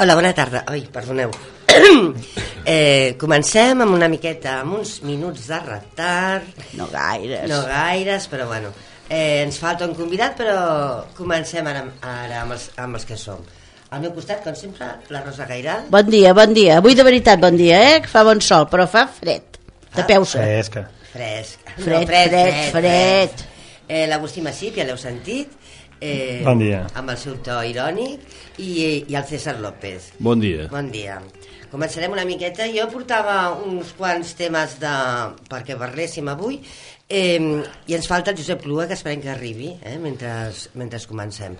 Hola, bona tarda. Ai, perdoneu. Comencem amb una miqueta, amb uns minuts de retard. No gaires. No gaires, però bueno. Ens falta un convidat, però comencem ara amb els que som. Al meu costat, com sempre, la Rosa Gairal. Bon dia. Avui de veritat bon dia, que fa bon sol, però fa fred. Tapeu-se. Fred. L'Agustí Massip, ja l'heu sentit. Bon dia. Amb el seu to irònic i el César López. Bon dia. Bon dia. Començarem una miqueta. Jo portava uns quants temes perquè parléssim avui i ens falta el Josep Clua, que esperem que arribi mentre comencem.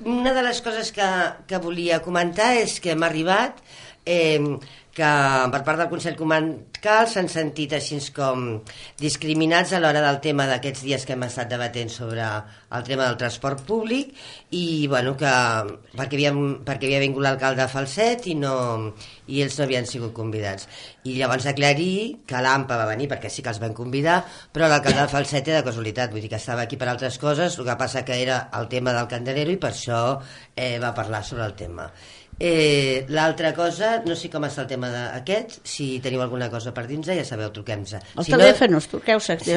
Una de les coses que volia comentar és que m'ha arribat que per part del Consell Comarcal s'han sentit així com discriminats a l'hora del tema d'aquests dies que hem estat debatent sobre el tema del transport públic i bueno, perquè havia vingut l'alcalde Falset i ells no havien sigut convidats. I llavors aclarir que l'AMPA va venir perquè sí que els van convidar, però l'alcalde de Falset era de casualitat, vull dir que estava aquí per altres coses, el que passa que era el tema del Candelero i per això va parlar sobre el tema. L'altra cosa, no sé com està el tema d'aquest, si teniu alguna cosa per dir-nos, ja sabeu, truquem-nos. Els telèfons, truqueu-se. Sí,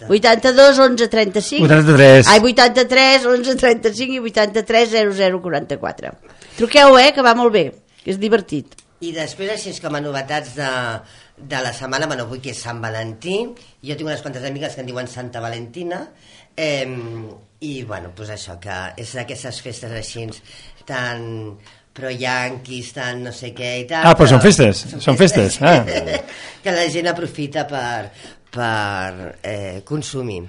82 11 35 83 ai, 83 11 35 i 83 00 44. Truqueu, que va molt bé, que és divertit. I després, així com a novetats de la setmana, bueno, avui que és Sant Valentí, jo tinc unes quantes amigues que en diuen Santa Valentina, i bueno, doncs això, que és d'aquestes festes així tan pro yanquis, tan no sé què i tal. Ah, però són festes. Ah. Que la gent aprofita per consumir.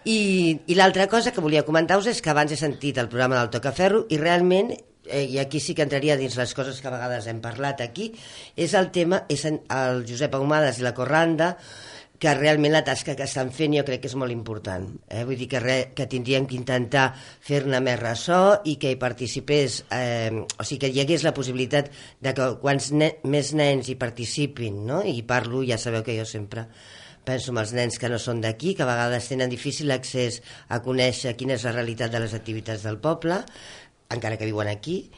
I l'altra cosa que volia comentar-vos és que abans he sentit el programa del Tocaferro i realment, i aquí sí que entraria dins les coses que a vegades hem parlat aquí, és el tema, és el Josep Ahumades i la Corranda, que realment la tasca que estan fent jo crec que és molt important. Vull dir que tindríem que intentar fer-ne més ressò i que hi participés, o sigui que hi hagués la possibilitat de que quants més nens hi participin, no? I parlo, ja sabeu que jo sempre penso en els nens que no són d'aquí, que a vegades tenen difícil accés a conèixer quina és la realitat de les activitats del poble, encara que viuen aquí,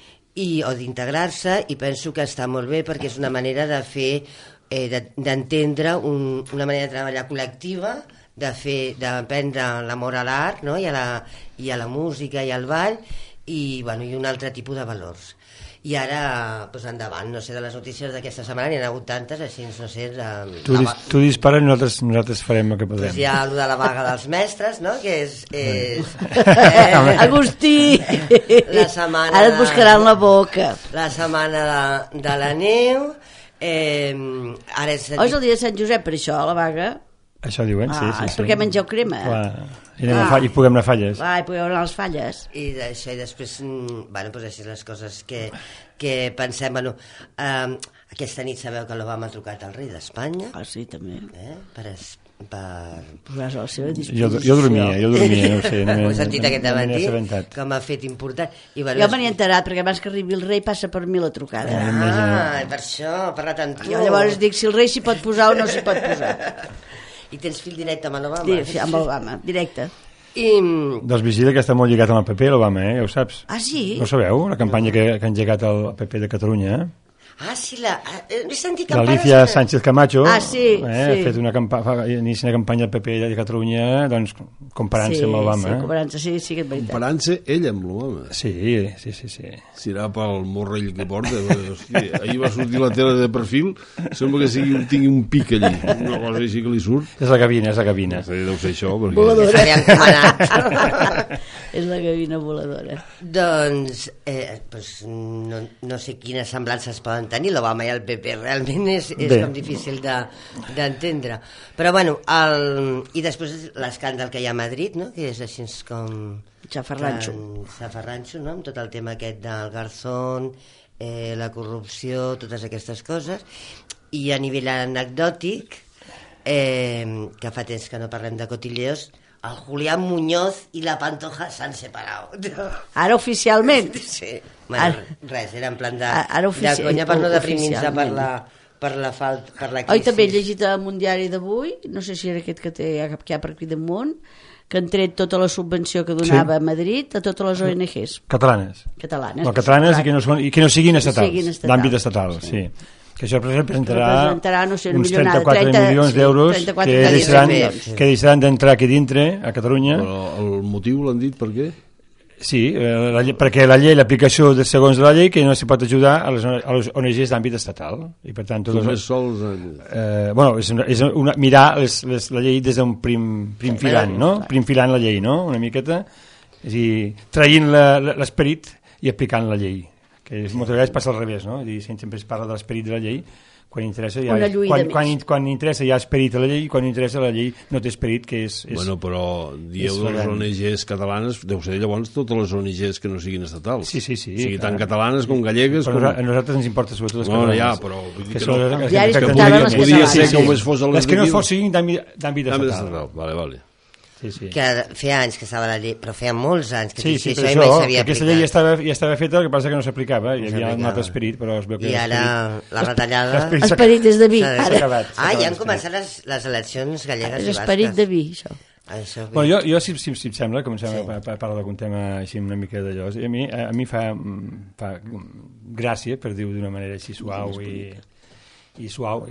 o d'integrar-se, i penso que està molt bé perquè és una manera de fer d'entendre una manera de treballar col·lectiva, d'aprendre l'amor a l'art, no? I a la música i al ball i un altre tipus de valors. I ara, doncs endavant, no sé, de les notícies d'aquesta setmana n'hi ha hagut tantes, així no sé... Tu dispara i nosaltres farem el que podrem. Doncs hi ha allò de la vaga dels mestres, no?, que és Agustí! La setmana... Ara et buscaran la boca. La setmana de la neu... Ara és el dia de Sant Josep, per això, la vaga? Això diuen, sí. És perquè mengeu crema. I puguem anar a Falles. I puguem anar a les Falles. I d'això, i després, doncs així les coses que pensem, aquesta nit sabeu que l'Obama ha trucat al rei d'Espanya. Ah, sí, també. Per posar-se a la seva disposició. Jo dormia, no ho sé. Ho he sentit aquest matí, com ha fet important. Jo me n'he enterat, perquè abans que arribi el rei passa per mi la trucada. Per això, ha parlat amb tu. Jo llavors dic si el rei s'hi pot posar o no s'hi pot posar. I tens fil directe amb l'Obama? Sí, amb l'Obama, directe. Doncs vigila que està molt lligat amb el PP, l'Obama, ja ho saps. Ah, sí? No ho sabeu, la campanya que ha engegat el PP de Catalunya, Ah, sí, he sentit campanyes... L'Alicia Sánchez Camacho ha fet una campanya al PP de Catalunya, doncs, comparant-se amb l'Obama. Sí, comparant-se, sí que és veritat. Comparant-se ell amb l'Obama. Sí. Serà pel morrell que porta. Ahir va sortir la tele de perfil, sembla que tingui un pic allí. Una cosa així que li surt. És la cabina. Deu ser això. Voladora. És la cabina voladora. Doncs, no sé quines semblances poden tenir l'Obama i el PP, realment és com difícil d'entendre, però bueno, i després l'escàndal que hi ha a Madrid, no?, que és així com xafarranxo, no?, amb tot el tema aquest del Garzón, la corrupció, totes aquestes coses. I a nivell anecdòtic, que fa temps que no parlem de cotilleos, el Julián Muñoz i la Pantoja s'han separat. Ara oficialment? Sí. Res, era en plan de conya per no deprimir-se per la crisi. Oi, també he llegit en un diari d'avui, no sé si era aquest que hi ha per aquí damunt, que han tret tota la subvenció que donava a Madrid a totes les ONGs Catalanes. catalanes. No, catalanes i que no siguin estatals, Siguin estatals. d'àmbit estatal, sí. Que això representarà no sé, una uns milionada, 34 milions d'euros 34 que deixaran d'entrar aquí dintre, a Catalunya. Però el motiu l'han dit per què? Sí, perquè la llei, l'aplicació segons la llei, que no s'hi pot ajudar a les ONGs d'àmbit estatal. I per tant, Només sols... bueno, és mirar la llei des d'un prim filant, no? Prim filant la llei, no? Una miqueta. És a dir, traient l'esperit i aplicant la llei. Que moltes vegades passa al revés, no? Sempre es parla de l'esperit de la llei, quan interessa quan interessa hi ha esperit a la llei, i quan interessa la llei no té esperit, que és... Bueno, però dieu de les ONGs catalanes, deu ser llavors totes les ONGs que no siguin estatals. Sí. O sigui, tant catalanes com gallegues... Però a nosaltres ens importa sobretot les catalanes. Ja, però... Que podia ser que només fos a les que no fossin d'àmbit estatal. Vale. Sí. Que feia anys que estava la llei, però feia molts anys que sí, per això, aquesta llei ja estava feta, el que passa que no s'aplicava, hi havia un altre esperit, però es veu que... I ara la retallada... Esperit és de vi. Ja han començat les eleccions gallegues i basques. Esperit de vi, això. Bueno, jo si em sembla, comencem a parlar d'algun tema així una mica d'allò, a mi fa gràcia, per dir-ho d'una manera així suau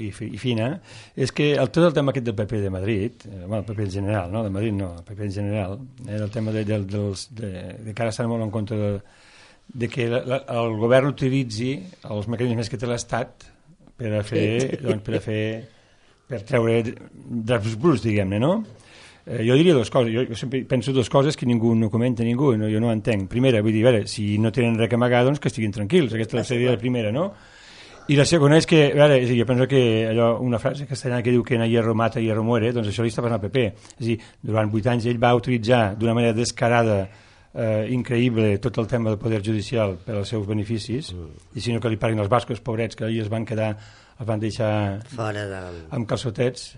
i fina, és que tot el tema aquest del PP de Madrid, el PP en general, no? De Madrid no, el PP en general, el tema de que ara estan molt en compte de que el govern utilitzi els mecanismes que té l'Estat per treure draps bruts, diguem-ne, no? Jo diria dues coses, jo sempre penso dues coses que ningú no comenta, jo no ho entenc. Primera, vull dir, si no tenen res a amagar, doncs que estiguin tranquils, aquesta seria la primera, no? I la segona és que, a veure, jo penso que una frase castellana que diu que en hierro mata, hierro muere, doncs això li està passant al PP. És a dir, durant 8 anys ell va utilitzar d'una manera descarada, increïble, tot el tema del poder judicial per als seus beneficis, i si no que li paguin els bascos, pobrets, que ahir els van deixar fora amb calçotets.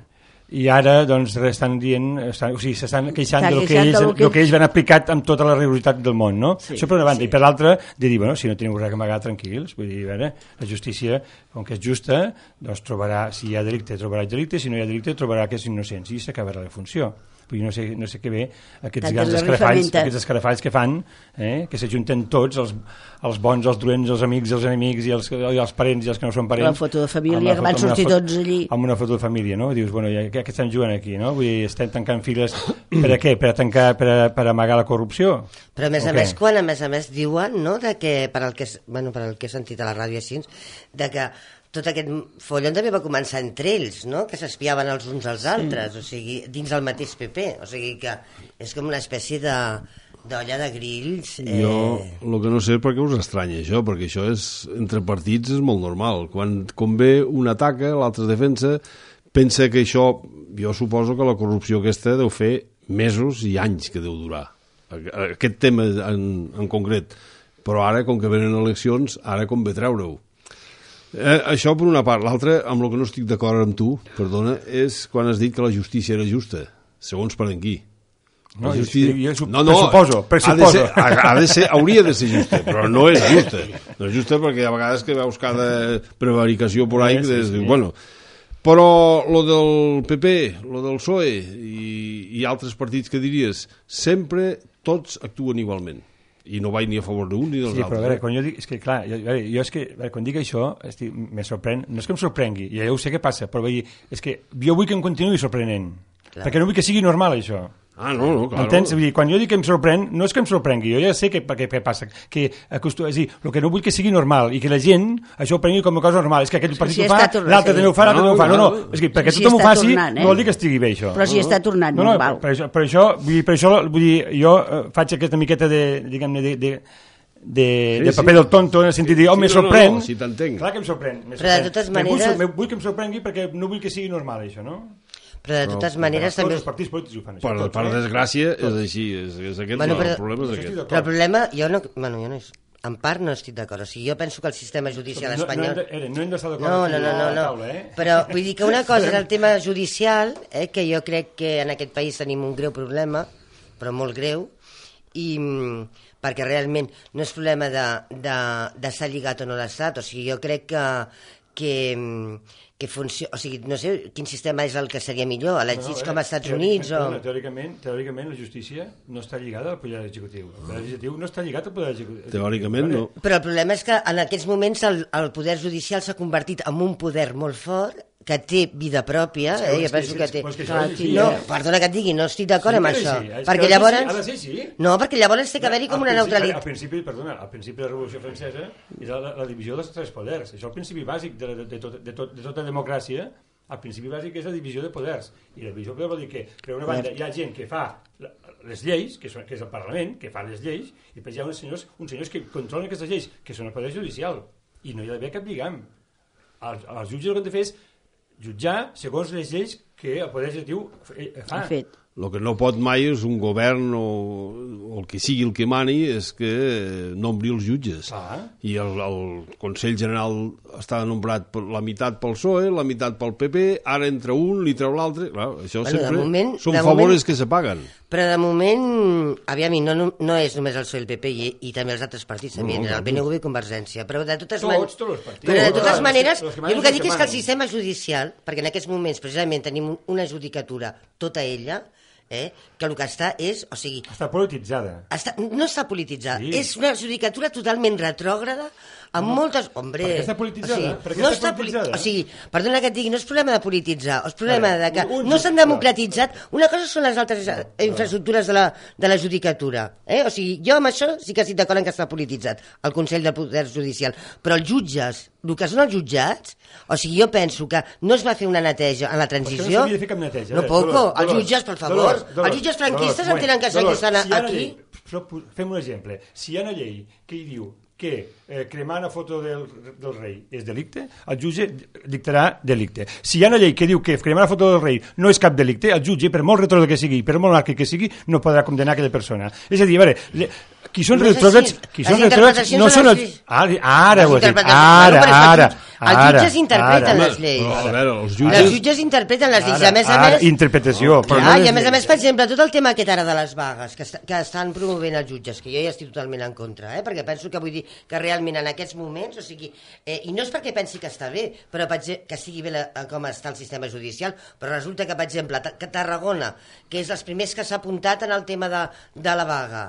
I ara doncs estan dient, s'estan queixant del que ells van aplicat amb tota la rigorositat del món, no? Sí, això per una banda, i per l'altra de dir, bueno, si no teniu res a amagar, tranquils, vull dir, a veure, la justícia, com que és justa, doncs trobarà, si hi ha delicte, trobarà delicte, si no hi ha delicte, trobarà que és innocent, i s'acabarà la funció. Vull dir, no sé què ve aquests grans escarafalls que fan, que s'ajunten tots, els bons, els dolents, els amics, els enemics, i els parents i els que no són parents. La foto de família, que van sortir tots allí. Amb una foto de família, no? Dius, bueno, què estan jugant aquí, no? Vull dir, estem tancant files per a què? Per amagar la corrupció? Però a més a més, quan a més diuen, no?, de que, per al que he sentit a la ràdio així, de que tot aquest follon també va començar entre ells, no?, que s'espiaven els uns als altres, o sigui, dins del mateix PP, o sigui que és com una espècie d'olla de grills. Jo el que no sé per què us estranya això, perquè això entre partits és molt normal. Quan convé un ataca, l'altre defensa, pensa que això, jo suposo que la corrupció aquesta deu fer mesos i anys que deu durar, aquest tema en concret, però ara, com que venen eleccions, ara convé treure-ho. Això per una part. L'altra, amb el que no estic d'acord amb tu, perdona, és quan has dit que la justícia era justa, segons per en qui. No, pressuposo. Hauria de ser justa, però no és justa. No és justa perquè a vegades que veus cada prevaricació por ahí, bueno, però lo del PP, lo del PSOE i altres partits que diries, sempre tots actuen igualment. I no vaig ni a favor d'un ni dels altres. Però a veure, quan jo dic, és que clar, quan dic això, me sorprèn, no és que em sorprengui, ja ho sé què passa, però és que jo vull que em continuï sorprenent, perquè no vull que sigui normal això. No, claro. Entens? Vull dir, quan jo dic que em sorprèn, no és que em sorprengui, jo ja sé què passa, que és a dir, el que no vull que sigui normal i que la gent això ho prengui com una cosa normal, és que aquell partit ho fa, l'altre també ho fa, l'altre també ho fa. No, és que perquè tothom ho faci no vol dir que estigui bé això. Però si està tornant normal. Per això, vull dir, jo faig aquesta miqueta diguem-ne, de paper del tonto, en el sentit de dir, me sorprèn. Si t'entenc. Clar que em sorprèn. Però de totes maneres... Vull que em sorprengui perquè no vull que sigui normal això, no? Però de totes maneres també... Els partits polítics ho fan això. Per desgràcia és així, és aquest el problema. Però el problema, jo no en part no estic d'acord, o sigui, jo penso que el sistema judicial espanyol... No hem d'estar d'acord no. Però vull dir que una cosa és el tema judicial, que jo crec que en aquest país tenim un greu problema, però molt greu, i perquè realment no és problema de s'ha lligat o no l'Estat, o sigui, jo crec funciona, o sigui, no sé quin sistema és el que seria millor, elegits com als Estats Units o... Teòricament la justícia no està lligada al poder executiu. El poder executiu no està lligat al poder executiu. Teòricament no. Però el problema és que en aquests moments el poder judicial s'ha convertit en un poder molt fort que té vida pròpia, jo penso que té... No, perdona que et digui, no estic d'acord amb això. Perquè llavors... No, perquè llavors té que haver-hi com una neutralitat. Al principi de la Revolució Francesa era la divisió dels tres poders. Això és el principi bàsic de tota democràcia. El principi bàsic és la divisió de poders. I la divisió de poders vol dir que, per una banda, hi ha gent que fa les lleis, que és el Parlament, que fa les lleis, i després hi ha uns senyors que controlen aquestes lleis, que són el poder judicial. I no hi ha d'haver cap lligam. Els jutges el que han de fer és jutjar segons les lleis que el poder executiu fa. El que no pot mai és un govern o el que sigui el que mani és que nombri els jutges. I el Consell General està nombrat la meitat pel PSOE, la meitat pel PP, ara entra un, li treu l'altre. Això sempre són favores que se paguen. Però de moment, aviam, no és només el PSOE i el PP i també els altres partits, el PNV i Convergència, però de totes maneres, jo el que dic és que el sistema judicial, perquè en aquests moments precisament tenim una judicatura tota ella, que el que està és... O sigui, està polititzada. No està polititzada, és una judicatura totalment retrògrada, amb moltes... Hombre, per què està polititzada? O sigui, perdona que et digui, no és problema de polititzar, és problema de que no s'han democratitzat. Una cosa són les altres infraestructures de la judicatura. O sigui, jo amb això sí que estic d'acord en que està polititzat, el Consell del Poder Judicial, però els jutges, el que són els jutjats, o sigui, jo penso que no es va fer una neteja en la transició... Per què no s'havia de fer cap neteja? No, poco, els jutges, per favor, els jutges franquistes entenen que estan aquí. Fem un exemple. Si hi ha una llei que hi diu que cremar una foto del rei és delicte, el jutge dictarà delicte. Si hi ha una llei que diu que cremar una foto del rei no és cap delicte, el jutge, per molt retrògrad que sigui, per molt monàrquic que sigui, no podrà condenar aquella persona. És a dir, a veure, qui són retrògrads no són els... Ara ho he dit, ara. Els jutges interpreten les lleis. Els jutges interpreten les lleis. I a més a més... Interpretació. I a més, per exemple, tot el tema aquest ara de les vagues que estan promovent els jutges, que jo ja estic totalment en contra, perquè penso que vull dir que realment en aquests moments, o sigui, i no és perquè pensi que està bé, però que estigui bé com està el sistema judicial, però resulta que, per exemple, que Tarragona, que és els primers que s'ha apuntat en el tema de la vaga,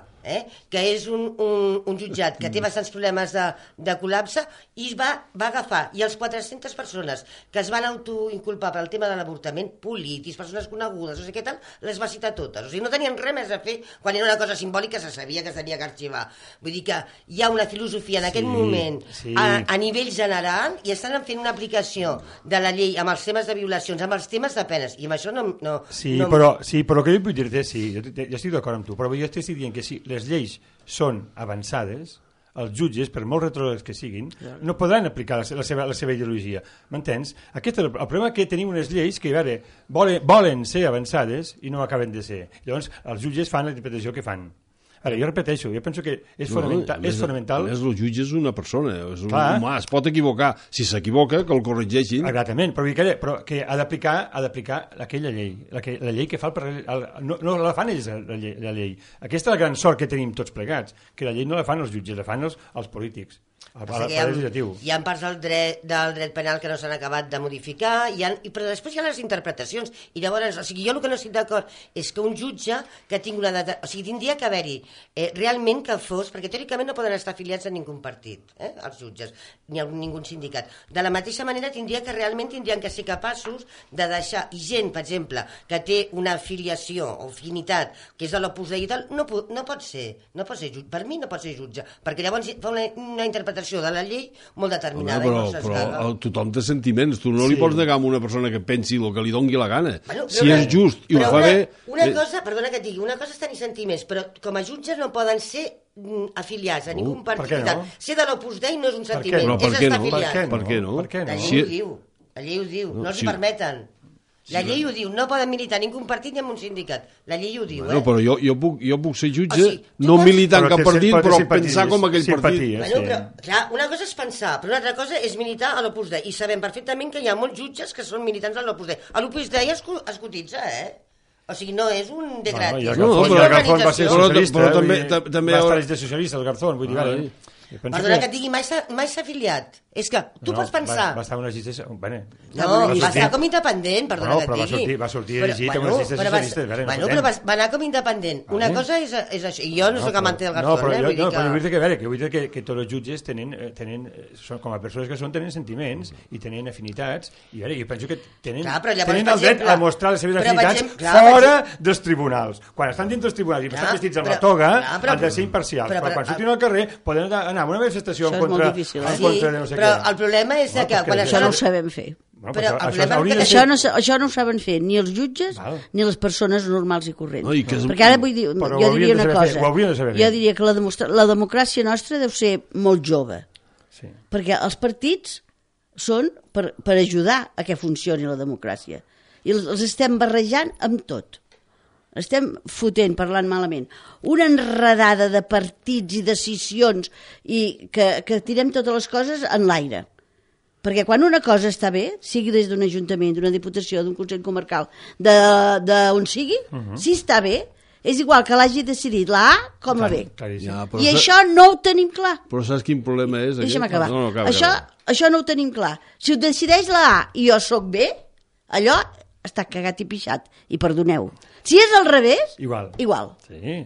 que és un jutjat que té bastants problemes de col·lapse, i va agafar, i els 400 persones que es van autoinculpar pel tema de l'avortament, polítics, persones conegudes, no sé què tal, les va citar totes. O sigui, no tenien res més a fer quan era una cosa simbòlica, se sabia que s'havia d'arxivar. Vull dir que hi ha una filosofia en aquest moment a nivell general i estan fent una aplicació de la llei amb els temes de violacions, amb els temes de penes, i amb això no... Però el que jo vull dir-te, jo estic d'acord amb tu, però jo estic dient que si les lleis són avançades, els jutges, per molt retrògrads que siguin, no podran aplicar la seva ideologia. M'entens? Aquest és el problema, que tenim unes lleis que volen ser avançades i no acaben de ser. Llavors, els jutges fan la interpretació que fan. Ara, jo repeteixo, jo penso que és fonamental... El jutge és una persona, és un humà, es pot equivocar. Si s'equivoca, que el corregeixin. Exactament, però que ha d'aplicar aquella llei, la llei que fa no la fan ells, la llei. Aquesta és la gran sort que tenim tots plegats, que la llei no la fan els jutges, la fan els polítics. Hi ha parts del dret penal que no s'han acabat de modificar, però després hi ha les interpretacions, i llavors, o sigui, jo el que no estic d'acord és que un jutge que tingui una data, o sigui, tindria que haver-hi realment que fos, perquè teòricament no poden estar afiliats a ningú partit, els jutges, ni a ningú sindicat. De la mateixa manera tindrien que ser capaços de deixar, i gent, per exemple, que té una afiliació o afinitat, que és de l'Opus Dei i tal, no pot ser jutge, per mi no pot ser jutge, perquè llavors fa una interpretació de la llei molt determinada. Però tothom té sentiments, tu no li pots negar a una persona que pensi el que li doni la gana. Si és just i ho fa bé... Una cosa, perdona que et digui, una cosa és tenir sentiments, però com a jutges no poden ser afiliats a ningú partit. Ser de l'Opus Dei no és un sentiment, és estar afiliat. Per què no? La llei ho diu, no els permeten. La llei ho diu, no poden militar ningú partit ni en un sindicat. La llei ho diu, Però jo puc ser jutge, no militar en cap partit, però pensar com aquell partit. Clar, una cosa és pensar, però una altra cosa és militar a l'Opus Dei. I sabem perfectament que hi ha molts jutges que són militants a l'Opus Dei. A l'Opus Dei es cotitza, O sigui, no és un de gratis. El Garzón va ser socialista, va estar de socialista, el Garzón, vull dir, Perdona que et digui, mai s'ha afiliat. És que tu pots pensar... Va estar unes llistes... Bueno, no, va estar com independent, perdona que et digui. Va sortir elegit amb unes llistes socialistes. Però va anar com independent. Una cosa és això, i jo no soc amante del Garzón. No, però vull dir que tots els jutges tenen, com a persones que són, tenen sentiments i tenen afinitats, i jo penso que tenen el dret a mostrar les seves afinitats fora dels tribunals. Quan estan dins dels tribunals i estan vestits amb la toga, han de ser imparcials. Però quan surtin al carrer poden anar a una manifestació en contra de no sé què. Però el problema és que... Això no ho sabem fer. Això no ho saben fer ni els jutges ni les persones normals i corrents. Perquè ara vull dir, jo diria una cosa. Jo diria que la democràcia nostra deu ser molt jove. Perquè els partits són per ajudar a que funcioni la democràcia. I els estem barrejant amb tot. Estem fotent, parlant malament, una enredada de partits i decisions i que tirem totes les coses en l'aire. Perquè quan una cosa està bé, sigui des d'un ajuntament, d'una diputació, d'un consell comarcal, d'on sigui, si està bé, és igual que l'hagi decidit la A com la B. I això no ho tenim clar. Però saps quin problema és? Deixa'm acabar. Això no ho tenim clar. Si ho decideix la A i jo sóc B, allò està cagat i pixat. I perdoneu. Si és al revés, igual.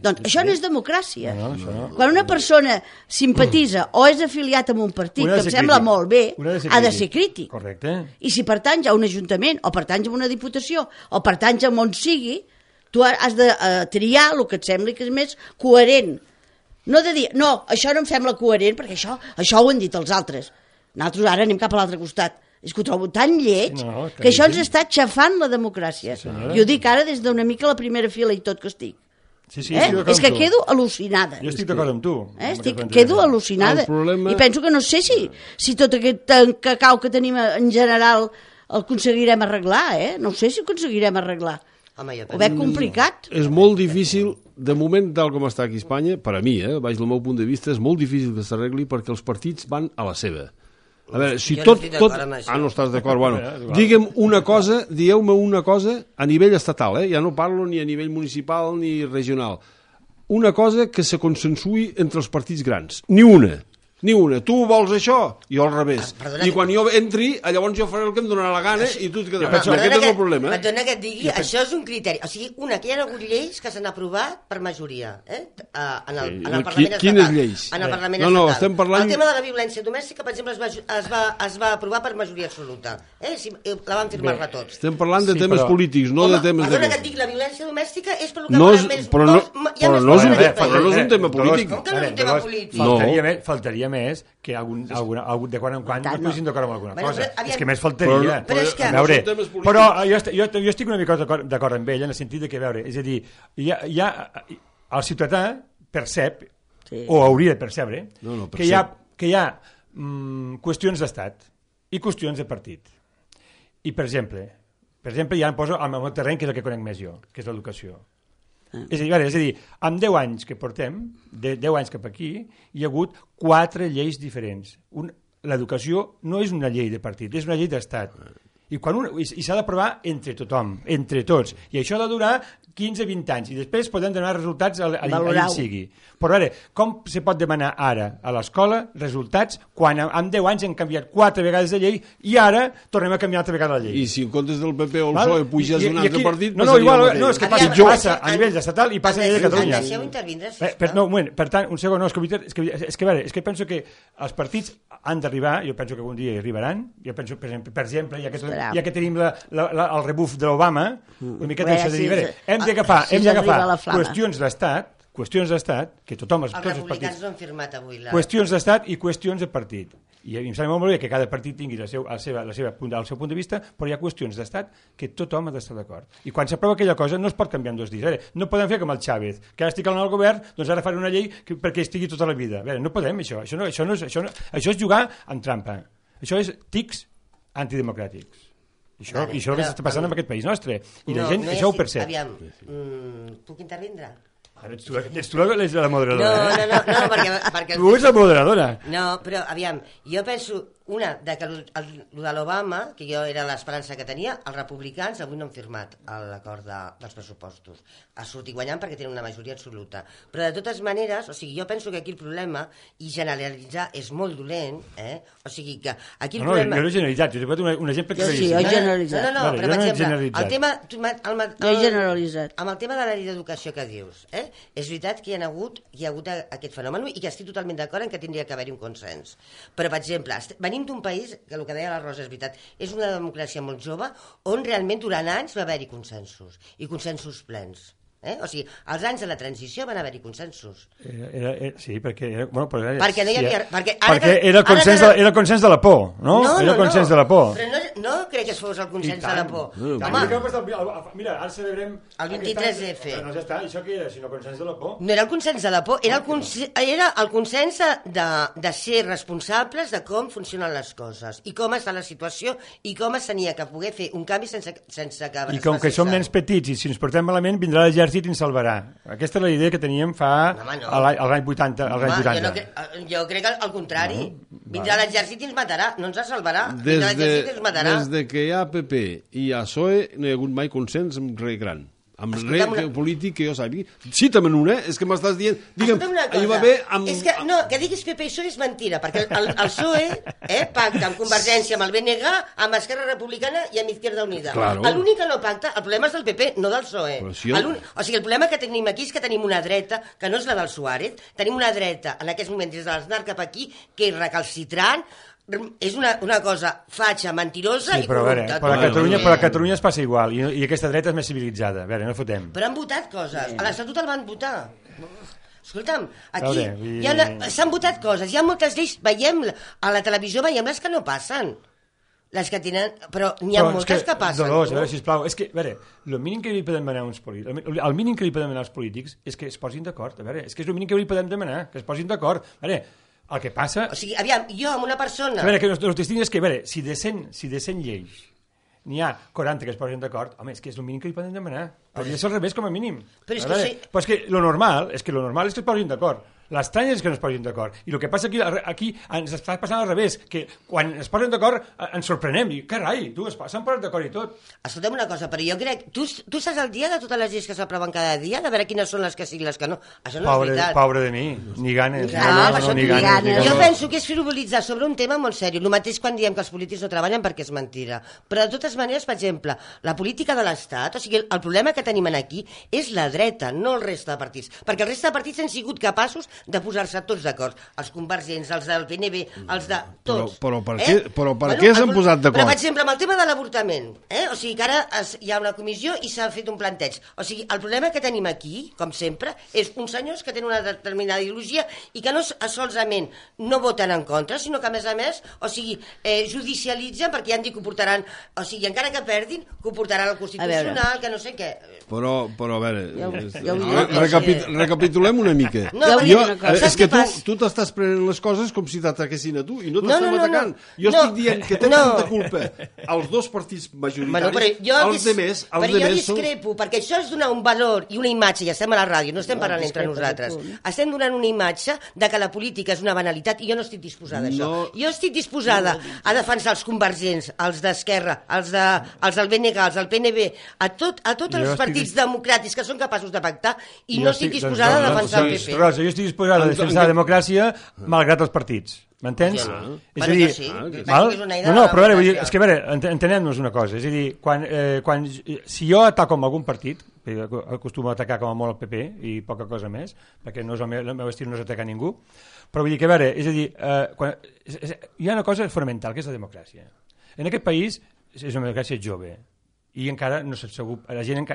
Doncs això no és democràcia. Quan una persona simpatitza o és afiliat a un partit que em sembla molt bé, ha de ser crític. Correcte. I si pertanys a un ajuntament o pertanys a una diputació o pertanys a on sigui, tu has de triar el que et sembli que és més coherent. No de dir, no, això no em sembla coherent perquè això ho han dit els altres. Nosaltres ara anem cap a l'altre costat. És que ho trobo tan lleig que això ens està xafant la democràcia. I ho dic ara des d'una mica la primera fila i tot que estic. És que quedo al·lucinada. Jo estic d'acord amb tu. Quedo al·lucinada. I penso que no sé si tot aquest cacau que tenim en general el aconseguirem arreglar. No sé si ho aconseguirem arreglar. Ho veig complicat. És molt difícil, de moment tal com està aquí a Espanya, per a mi, baix del meu punt de vista, és molt difícil que s'arregli perquè els partits van a la seva. A veure, si tot... no estàs d'acord, bueno. Digue'm una cosa, dieu-me una cosa a nivell estatal, ja no parlo ni a nivell municipal ni regional. Una cosa que se consensui entre els partits grans. Ni una. Tu vols això? Jo al revés. I quan jo entri, llavors jo faré el que em donarà la gana i tu et quedaràs. Aquest és el problema. Perdona que et digui, això és un criteri. O sigui, que hi ha hagut lleis que s'han aprovat per majoria en el Parlament estatal. Quines lleis? En el Parlament estatal. No, estem parlant... El tema de la violència domèstica, per exemple, es va aprovar per majoria absoluta. La van firmar-la tots. Estem parlant de temes polítics, no de temes... Perdona que et digui, la violència domèstica és per el que volen més... Però no és un tema polític. Com que no és un tema polític? Faltaria més que de quan en quan no estiguessin d'acord amb alguna cosa. És que més faltaria. Però jo estic una mica d'acord amb ell en el sentit que, veure, és a dir, el ciutadà percep, o hauria de percebre, que hi ha qüestions d'estat i qüestions de partit. I, per exemple, ja em poso al meu terreny, que és el que conec més jo, que és l'educació. És a dir, amb 10 anys que portem, de 10 anys cap aquí, hi ha hagut 4 lleis diferents. L'educació no és una llei de partit, és una llei d'estat. I s'ha d'aprovar entre tothom, entre tots. I això ha de durar 15-20 anys. I després podem donar resultats allà sigui. Però ara, com se pot demanar ara a l'escola resultats quan en 10 anys han canviat 4 vegades de llei i ara tornem a canviar altra vegada la llei? I si en comptes del PP o el PSOE puges un altre partit... No, és que passa a nivell estatal i passa a nivell de Catalunya. Deixeu intervindre, sisplau. Per tant, un segon, és que penso que els partits han d'arribar, jo penso que algun dia arribaran, jo penso, per exemple, ja que tenim el rebuf de l'Obama, una miqueta això de dir, hem d'agafar qüestions d'estat, que tothom... Els republicans no han firmat avui qüestions d'estat i qüestions de partit. I em sembla molt bé que cada partit tingui el seu punt de vista, però hi ha qüestions d'estat que tothom ha d'estar d'acord. I quan s'aprova aquella cosa no es pot canviar en 2 dies. No podem fer com el Chávez, que ara estic al govern, doncs ara faré una llei perquè estigui tota la vida. No podem, això. Això és jugar amb trampa. Això és tics antidemocràtics. I això és el que està passant en aquest país nostre. I la gent això ho percep. Aviam, puc intervindre? Ets tu la moderadora. No, perquè... Tu ets la moderadora. No, però, aviam, jo penso... Una, que el de l'Obama, que jo era l'esperança que tenia, els republicans avui no han firmat l'acord dels pressupostos. Ha sortit guanyant perquè tenen una majoria absoluta. Però de totes maneres, o sigui, jo penso que aquí el problema, i generalitzar és molt dolent, o sigui que aquí el problema... No, jo no he generalitzat, jo he posat un exemple que... Sí, jo he generalitzat. No, però per exemple, el tema... Jo he generalitzat. Amb el tema de la llei d'educació que dius, és veritat que hi ha hagut aquest fenomen i que estic totalment d'acord en que tindria que haver-hi un consens. Però, per exemple, venim d'un país, que el que deia la Rosa és veritat, és una democràcia molt jove, on realment durant anys va haver-hi consensos, i consensos plens. O sigui, als anys de la transició van haver-hi consensos. Sí, perquè... Perquè no hi havia... Perquè era el consens de la por, no? Era el consens de la por. Però no crec que fos el consens de la por. Mira, ara celebrem... El 23F. No, ja està, això què era, sinó el consens de la por? No era el consens de la por, era el consens de ser responsables de com funcionen les coses, i com està la situació, i com es tenia que poder fer un canvi sense que... I com que som nens petits, i si ens portem malament, vindrà l'exèrcit i ens salvarà. Aquesta és la idea que teníem l'any 80. Jo crec que al contrari. Vindrà l'exèrcit i ens matarà. No ens salvarà. Vindrà l'exèrcit i ens matarà. Des de que hi ha PP i hi ha PSOE no hi ha hagut mai consens amb res gran. Amb res polític que jo sàpiga. Cita'm una, és que m'estàs dient... Digue'm, ahir va bé amb... És que, no, que diguis PP i PSOE és mentira, perquè el PSOE pacta amb Convergència, amb el BNG, amb Esquerra Republicana i amb Izquierda Unida. Claro. L'únic que no pacta, el problema és del PP, no del PSOE. O sigui, el problema que tenim aquí és que tenim una dreta, que no és la del Suárez, tenim una dreta, en aquests moments, des de l'Aznar cap aquí, que és recalcitrant, és una cosa fatxa, mentirosa i corrupta. Però a Catalunya es passa igual, i aquesta dreta és més civilitzada. A veure, no fotem. Però han votat coses, a l'Estatut el van votar. Escolta'm, aquí s'han votat coses, hi ha moltes lleis, veiem a la televisió, veiem les que no passen. Les que tenen... Però n'hi ha moltes que passen. Dolors, a veure, sisplau, és que, a veure, el mínim que li podem demanar el mínim que li podem demanar als polítics és que es posin d'acord, a veure, és que és el mínim que li podem demanar, que es posin d'acord, a veure... El que passa... O sigui, aviam, jo amb una persona... A veure, que el distinct és que, a veure, si de 100 lleis n'hi ha 40 que es posen d'acord, home, és que és el mínim que li poden demanar. Hauria de ser al revés, com a mínim. Però és que lo normal és que es posin d'acord. L'estrany és que no es posin d'acord. I el que passa aquí ens està passant al revés, que quan es posen d'acord ens sorprenem. I, carai, s'han posat d'acord i tot. Escolta'm una cosa, però jo crec... Tu estàs al dia de totes les lleis que s'aproven cada dia, de veure quines són les que sí i les que no. Això no és veritat. Pobre de mi, ni ganes. Ni ganes. Jo penso que és frivolitzar sobre un tema molt seriós. El mateix quan diem que els polítics no treballen perquè és mentira. Però de totes maneres, per exemple, la política de l'Estat, o sigui, el problema que tenim aquí és la dreta, no el resta de partits. Perquè el resta de partits han sigut capaços de posar-se tots d'acord, els convergents, els del PNB, els de tots. Però per què s'han posat d'acord? Però, per exemple, amb el tema de l'avortament, o sigui que ara hi ha una comissió i s'ha fet un planteig. O sigui, el problema que tenim aquí, com sempre, és uns senyors que tenen una determinada ideologia i que no solament no voten en contra, sinó que, a més, o sigui, judicialitzen perquè ja han dit que ho portaran, o sigui, encara que perdin, que ho portaran al Constitucional, que no sé què. Però a veure, recapitulem una mica. És que tu t'estàs prenent les coses com si t'ataquessin a tu i no t'estem atacant. Jo estic dient que tenen tanta culpa els dos partits majoritaris, els demés però jo discrepo, perquè això és donar un valor i una imatge, i estem a la ràdio, no estem parlant entre nosaltres, estem donant una imatge de que la política és una banalitat i jo no estic disposada a això. Jo estic disposada a defensar els convergents, els d'Esquerra, els del BNG, els del PNB, a tots els partits democràtics que són capaços de pactar i no estic disposada a defensar el PP. Rosa, jo estic disposada a defensar la democràcia malgrat els partits. M'entens? És a dir, però és que, a veure, entenem-nos una cosa, és a dir, si jo ataco amb algun partit, acostumo a atacar com a molt el PP i poca cosa més, perquè no és el meu estil no és atacar ningú, però vull dir que, a veure, és a dir, hi ha una cosa fonamental, que és la democràcia. En aquest país és una democràcia jove, i encara no s'ha sabut,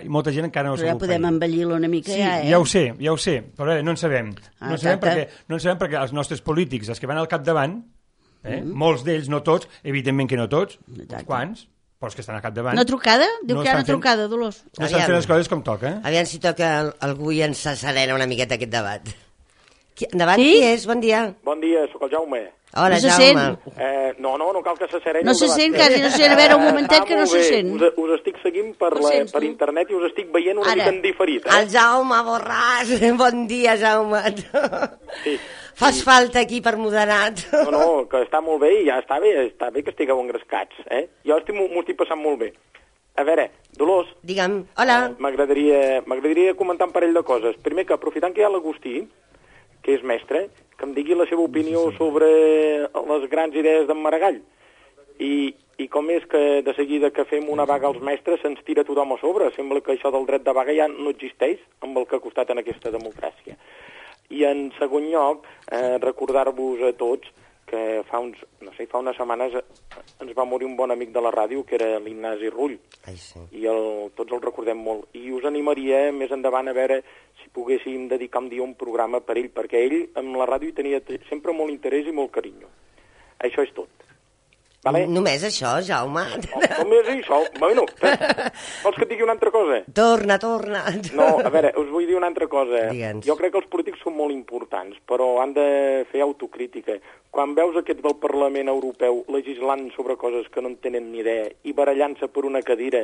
molta gent encara no s'ha sabut. Però ja podem envellir-lo una mica, sí, ja ho sé, però no en sabem. No en sabem perquè els nostres polítics, els que van al capdavant, molts d'ells, no tots, evidentment que no tots, uns quants, però els que estan al capdavant... Una trucada? Diu que hi ha una trucada, Dolors. No estan fent les coses com toca. Aviam si toca algú i ens accelera una miqueta aquest debat. Endavant, qui és? Bon dia. Bon dia, sóc el Jaume. Hola, Jaume. No cal que se sereni. No se sent, quasi no se sent. A veure, un momentet que no se sent. Us estic seguint per internet i us estic veient una mica en diferit. El Jaume Borràs. Bon dia, Jaume. Sí. Fas falta aquí per moderat. No, que està molt bé i ja està bé que estigueu engrescats. Jo m'ho estic passant molt bé. A veure, Dolors... Digue'm, hola. M'agradaria comentar un parell de coses. Primer, que aprofitant que hi ha l'Agustí, que és mestre, que em digui la seva opinió sobre les grans idees d'en Maragall. I com és que de seguida que fem una vaga als mestres se'ns tira tothom a sobre. Sembla que això del dret de vaga ja no existeix amb el que ha costat en aquesta democràcia. I en segon lloc, recordar-vos a tots que fa unes setmanes ens va morir un bon amic de la ràdio, que era l'Ignasi Rull. Ai, sí. I tots el recordem molt. I us animaria més endavant a veure si poguéssim dedicar un dia un programa per ell, perquè ell amb la ràdio hi tenia sempre molt interès i molt carinyo. Això és tot. Vale? Només això, Jaume? Només això? Bueno, vols que et digui una altra cosa? Torna. No, a veure, us vull dir una altra cosa. Digue'ns. Jo crec que els polítics són molt importants, però han de fer autocrítica. Quan veus aquest del Parlament Europeu legislant sobre coses que no en tenen ni idea i barallant-se per una cadira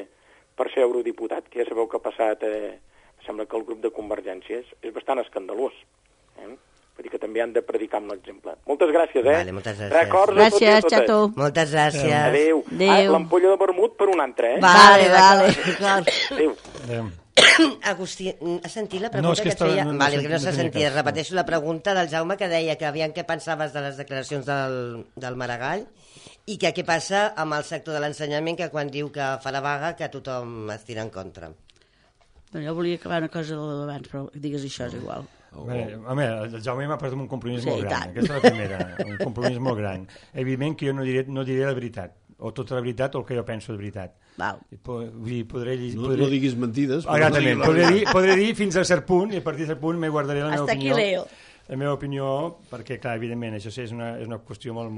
per ser eurodiputat, que ja sabeu que ha passat, sembla que el grup de Convergència és bastant escandalós. Vull dir que també han de predicar amb l'exemple. Moltes gràcies, Vale, moltes gràcies. Records a tots i a totes. Xato. Moltes gràcies. Adéu. L'ampolla de vermut per un altre, Vale. Adéu. Agustí, has sentit la pregunta que et feia? Vale, que no s'ha sentit. Repeteixo la pregunta del Jaume que deia que aviam què pensaves de les declaracions del Maragall i que què passa amb el sector de l'ensenyament, que quan diu que fa la vaga que tothom es tira en contra. Jo volia acabar una cosa d'abans, però digues això, és igual. Home, el Jaume m'ha posat un compromís molt gran. Aquesta és la primera, un compromís molt gran. Evidentment que jo no diré la veritat, o tota la veritat o el que jo penso de veritat. Val. No diguis mentides. Podré dir fins a cert punt, i a partir de cert punt me guardaré la meva opinió. Hasta aquí leo. La meva opinió, perquè, clar, evidentment, això és una qüestió molt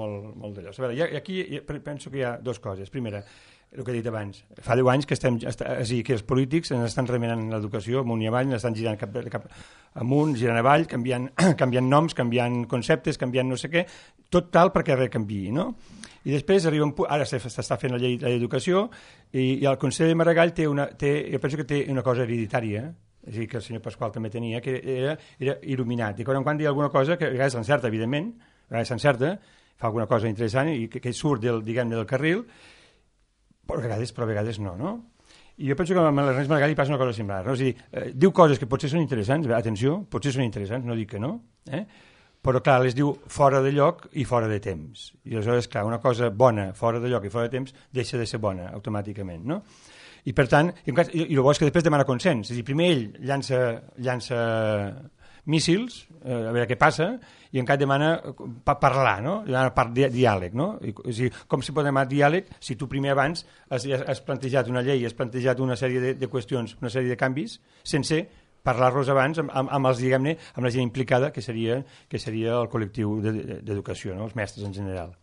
d'allò. A veure, aquí penso que hi ha dues coses. Primera, el que he dit abans, fa 10 anys que que els polítics ens estan remenant l'educació amunt i avall, ens estan girant cap amunt, girant avall, canviant noms, canviant conceptes, canviant no sé què, tot tal perquè res canviï, no? I després arriba un punt, ara s'està fent la llei d'educació i el Consell de Maragall jo penso que té una cosa hereditària, és a dir, que el senyor Pasqual també tenia, que era il·luminat, i quan diu alguna cosa, que a vegades s'encerta, evidentment, a vegades s'encerta, fa alguna cosa interessant i que surt del carril, però a vegades no? I jo penso que amb l'Ernest Maragall hi passa una cosa similar, no? És a dir, diu coses que potser són interessants, atenció, potser són interessants, no dic que no, però clar, les diu fora de lloc i fora de temps. I aleshores, clar, una cosa bona fora de lloc i fora de temps deixa de ser bona automàticament, no? I per tant, i el bo és que després demana consens, és a dir, primer ell llança míssils, a veure què passa, i encara demana parlar, no? Demana diàleg, no? És a dir, com si pot demanar diàleg si tu primer abans has plantejat una llei, has plantejat una sèrie de qüestions, una sèrie de canvis, sense parlar-los abans amb els, diguem-ne, amb la gent implicada, que seria el col·lectiu d'educació, no? Els mestres en general.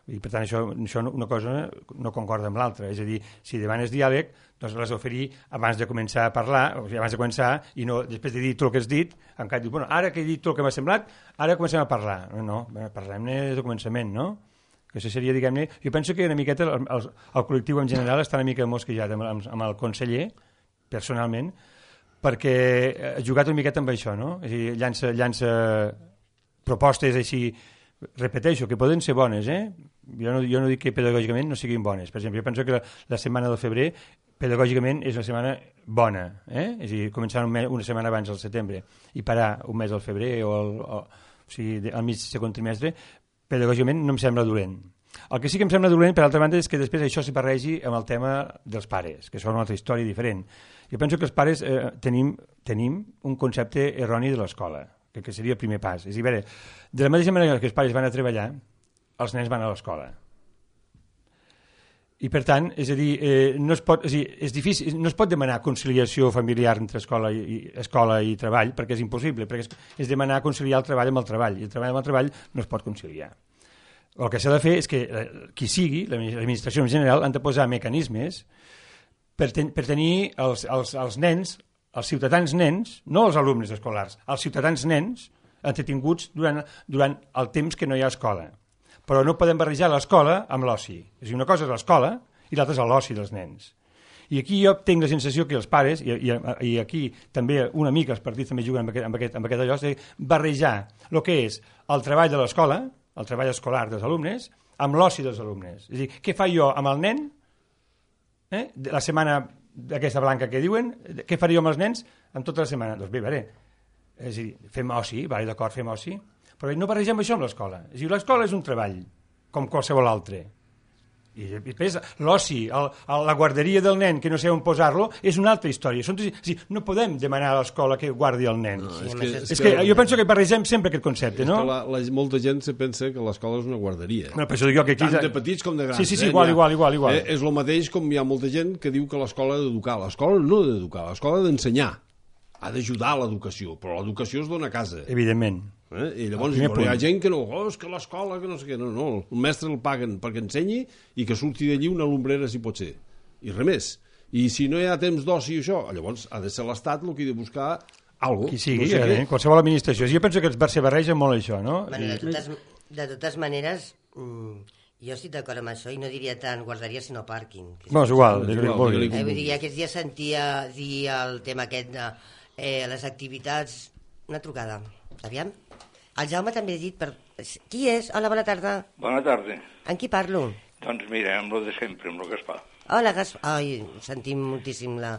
I per tant això una cosa no concorda amb l'altra, és a dir, si demanes diàleg doncs l'has d'oferir abans de començar a parlar, o sigui, abans de començar, i no després de dir tot el que has dit, encara dius, bueno, ara que he dit tot el que m'ha semblat, ara comencem a parlar. No, parlem-ne des del començament, no? Que això seria, diguem-ne, jo penso que una miqueta el col·lectiu en general està una mica mosquejat amb el conseller, personalment, perquè ha jugat una miqueta amb això, no? És a dir, llança propostes així, repeteixo, que poden ser bones, jo no dic que pedagògicament no siguin bones. Per exemple, jo penso que la setmana del febrer pedagògicament és una setmana bona, és a dir, començar una setmana abans del setembre i parar un mes al febrer o sigui, al mig segon trimestre, pedagògicament no em sembla dolent. El que sí que em sembla dolent, per altra banda, és que després això s'hi barregi amb el tema dels pares, que són una altra història diferent. Jo penso que els pares tenim un concepte erroni de l'escola, que seria el primer pas. És a dir, de la mateixa manera que els pares van a treballar, els nens van a l'escola. I per tant, és a dir, és difícil, no es pot demanar conciliació familiar entre escola i treball, perquè és impossible, perquè és demanar conciliar el treball amb el treball, i el treball amb el treball no es pot conciliar. El que s'ha de fer és que qui sigui, l'administració en general, han de posar mecanismes per tenir els nens, els ciutadans nens, no els alumnes escolars, els ciutadans nens, entretinguts durant el temps que no hi ha escola. Però no podem barrejar l'escola amb l'oci. És a dir, una cosa és l'escola i l'altra és l'oci dels nens. I aquí jo tinc la sensació que els pares, i aquí també una mica els partits també juguen amb aquest allò, és barrejar el que és el treball de l'escola, el treball escolar dels alumnes, amb l'oci dels alumnes. És a dir, què faig jo amb el nen, la setmana aquesta blanca que diuen, què faria amb els nens en tota la setmana? Doncs bé, és a dir, fem oci, d'acord, fem oci, però no barregem això amb l'escola. És a dir, l'escola és un treball, com qualsevol altre. I després l'oci, la guarderia del nen, que no sé on posar-lo, és una altra història. No podem demanar a l'escola que guardi el nen. És que jo penso que barregem sempre aquest concepte, no? Molta gent se pensa que l'escola és una guarderia. Tant de petits com de grans. Sí, igual. És el mateix com hi ha molta gent que diu que l'escola ha d'educar. L'escola no ha d'educar, l'escola ha d'ensenyar. Ha d'ajudar a l'educació, però l'educació es dona a casa. Evidentment. I llavors hi ha gent que no, és que l'escola, que no sé què, no, el mestre el paguen perquè ensenyi i que surti d'allí una lumbrera si pot ser, i res més. I si no hi ha temps d'oci i això, llavors ha de ser l'Estat el que ha de buscar alguna cosa. Qui sigui, qualsevol administració. Jo penso que es barreja molt això, no? De totes maneres, jo estic d'acord amb això i no diria tant guarderia sinó pàrquing. És igual. Vull dir, aquests dies sentia dir el tema aquest de les activitats, una trucada. Aviam. El Jaume també ha dit... Qui és? Hola, bona tarda. Bona tarda. Amb qui parlo? Doncs mira, amb lo de sempre, amb lo Gaspar. Hola, Gaspar. Ai, sentim moltíssim la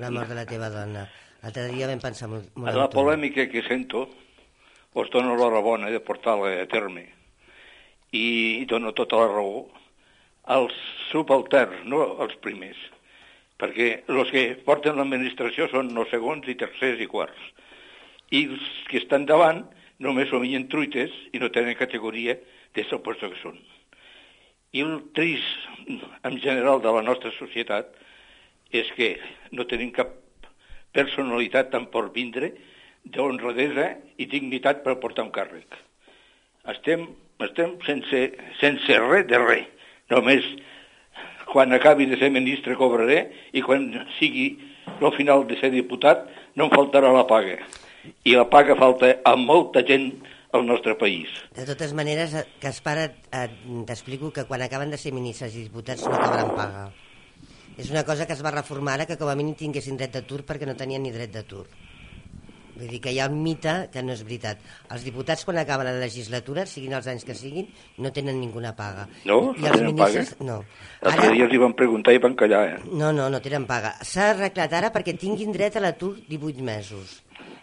mort de la teva dona. L'altre dia vam pensar molt en tu. La polèmica que sento us dono l'horabona de portar-la a terme i dono tota la raó als subalterns, no als primers, perquè els que porten l'administració són els segons i tercers i quarts. I els que estan davant només somien truites i no tenen categoria des del lloc que són. I el trist, en general, de la nostra societat és que no tenim cap personalitat tant per vindre d'honradesa i dignitat per portar un càrrec. Estem sense res de res. Només quan acabi de ser ministre cobraré i quan sigui el final de ser diputat no em faltarà la paga. I la paga falta a molta gent al nostre país. De totes maneres, Gaspar, t'explico que quan acaben de ser ministres i diputats no acabaran paga. És una cosa que es va reformar ara, que com a mínim tinguessin dret d'atur perquè no tenien ni dret d'atur. Vull dir que hi ha un mite que no és veritat. Els diputats, quan acaben la legislatura, siguin els anys que siguin, no tenen ninguna paga. No? I els ministres, paga? No. Ara, els dies li van preguntar i van callar, No tenen paga. S'ha arreglat ara perquè tinguin dret a l'atur 18 mesos.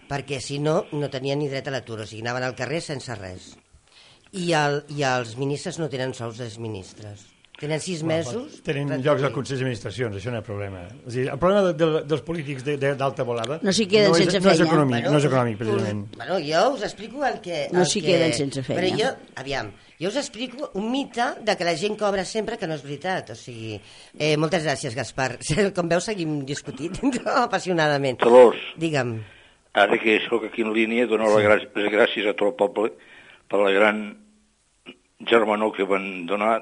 Perquè si no, no tenien ni dret a l'atur, o sigui, anaven al carrer sense res. I els ministres no tenen sous dels ministres. Tenen 6 mesos... Tenen llocs al Consell d'Administracions, això no hi ha problema. És dir, el problema dels polítics d'alta volada no s'hi queden sense feina. No és econòmic, precisament. Bueno, jo us explico el que... No s'hi queden sense feina. Però jo us explico un mite de que la gent cobra sempre, que no és veritat. O sigui, moltes gràcies, Gaspar. Com veus, seguim discutint apassionadament. Dolors. Digue'm. Ara que sóc aquí en línia, dono les gràcies a tot el poble per la gran germanor que van donar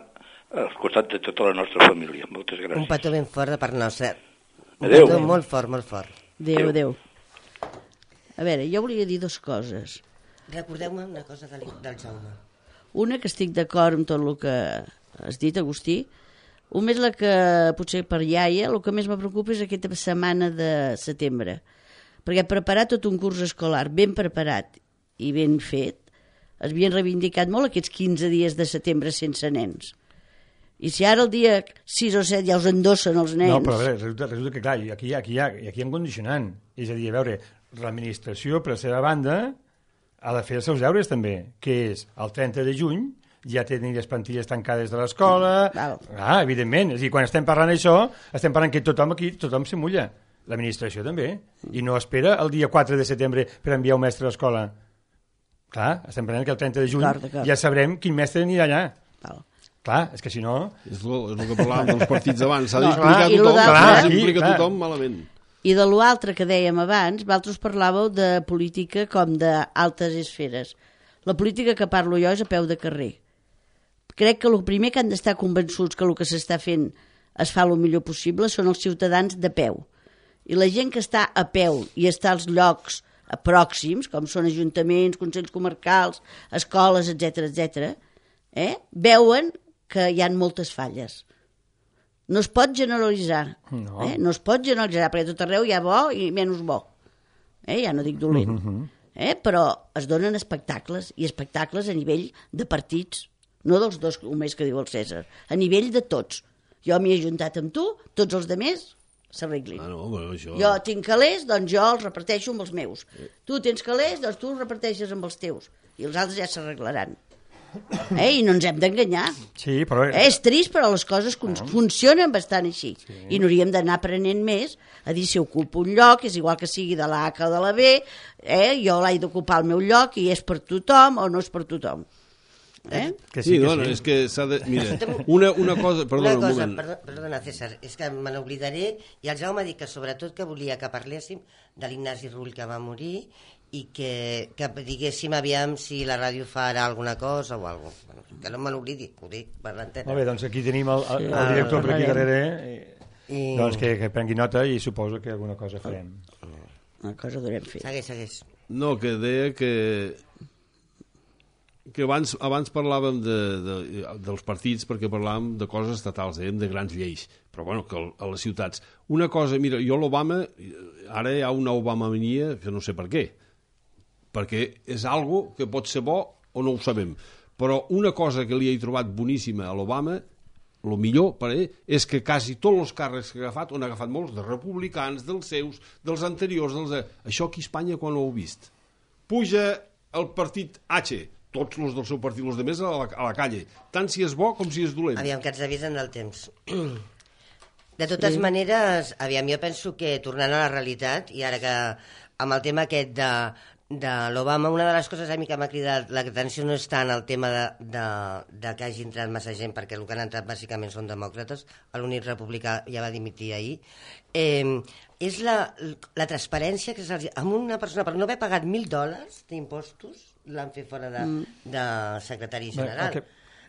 al costat de tota la nostra família. Moltes gràcies. Un petó ben fort de part nostra. Adéu. Un petó molt fort, molt fort. Adéu. A veure, jo volia dir 2 coses. Recordeu-me una cosa del Jaume. Una, que estic d'acord amb tot el que has dit, Agustí. Un més la que, potser per iaia, el que més me preocupa és aquesta setmana de setembre. Perquè preparar tot un curs escolar ben preparat i ben fet, es havien reivindicat molt aquests 15 dies de setembre sense nens. I si ara el dia 6 o 7 ja us endossen els nens... No, però a veure, resulta que clar, aquí hi ha un condicionant. És a dir, a veure, l'administració, per la seva banda, ha de fer els seus deures també, que és el 30 de juny ja tenir les plantilles tancades de l'escola... evidentment, és a dir, quan estem parlant d'això, estem parlant que tothom se mulla. L'administració també, i no espera el dia 4 de setembre per enviar un mestre a l'escola. Clar, estem parlant que el 30 de juny ja sabrem quin mestre anirà allà. Clar, és que si no... És el que parlàvem dels partits abans, s'ha d'explicar tothom malament. I de l'altre que dèiem abans, vosaltres parlàveu de política com d'altes esferes. La política que parlo jo és a peu de carrer. Crec que el primer que han d'estar convençuts que el que s'està fent es fa el millor possible són els ciutadans de peu. I la gent que està a peu i està als llocs pròxims, com són ajuntaments, consells comarcals, escoles, etc., veuen que hi ha moltes falles. No es pot generalitzar, no es pot generalitzar, perquè tot arreu hi ha bo i menys bo. Ja no dic dolent. Però es donen espectacles, i espectacles a nivell de partits, no dels dos només que diu el César, a nivell de tots. Jo m'hi he juntat amb tu, tots els altres s'arreglin. Jo tinc calés, doncs jo els reparteixo amb els meus. Tu tens calés, doncs tu els reparteixes amb els teus. I els altres ja s'arreglaran. I no ens hem d'enganyar. Sí, però... És trist, però les coses funcionen bastant així. I n'hauríem d'anar aprenent més a dir si ocupo un lloc, és igual que sigui de la A o de la B, jo l'he d'ocupar al meu lloc i és per tothom o no és per tothom. Sí, dona, és que s'ha de... Mira, una cosa... Perdona, César, és que me n'oblidaré, i el Jaume m'ha dit que sobretot que volia que parléssim de l'Ignasi Rull que va morir i que diguéssim aviam si la ràdio farà alguna cosa o alguna cosa. Que no me n'oblidi, ho dic per l'antena. Molt bé, doncs aquí tenim el director per aquí darrere, doncs que prengui nota i suposo que alguna cosa farem. Una cosa durem fer. Segueix. No, que deia que abans parlàvem dels partits perquè parlàvem de coses estatals, dèiem de grans lleis, però bueno, que a les ciutats. Una cosa, mira, jo l'Obama, ara hi ha una Obamania que no sé per què, perquè és algo que pot ser bo o no ho sabem, però una cosa que li he trobat boníssima a l'Obama, el millor per ell, és que quasi tots els càrrecs que ha agafat, on ha agafat molts, de republicans, dels seus, dels anteriors, això aquí a Espanya quan ho heu vist? Puja el partit H, tots els del seu partit, els de més a la calle, tant si és bo com si és dolent. Aviam, que ens avisen del temps. De totes maneres, aviam, jo penso que tornant a la realitat, i ara que amb el tema aquest de l'Obama, una de les coses a mi que m'ha cridat l'atenció no és tant el tema de que hagi entrat massa gent, perquè el que han entrat bàsicament són demòcrates, l'Unit Republicà ja va dimitir ahir, és la transparència que se'ls... Amb una persona, per no haver pagat $1.000 d'impostos, l'han fet fora de secretari general.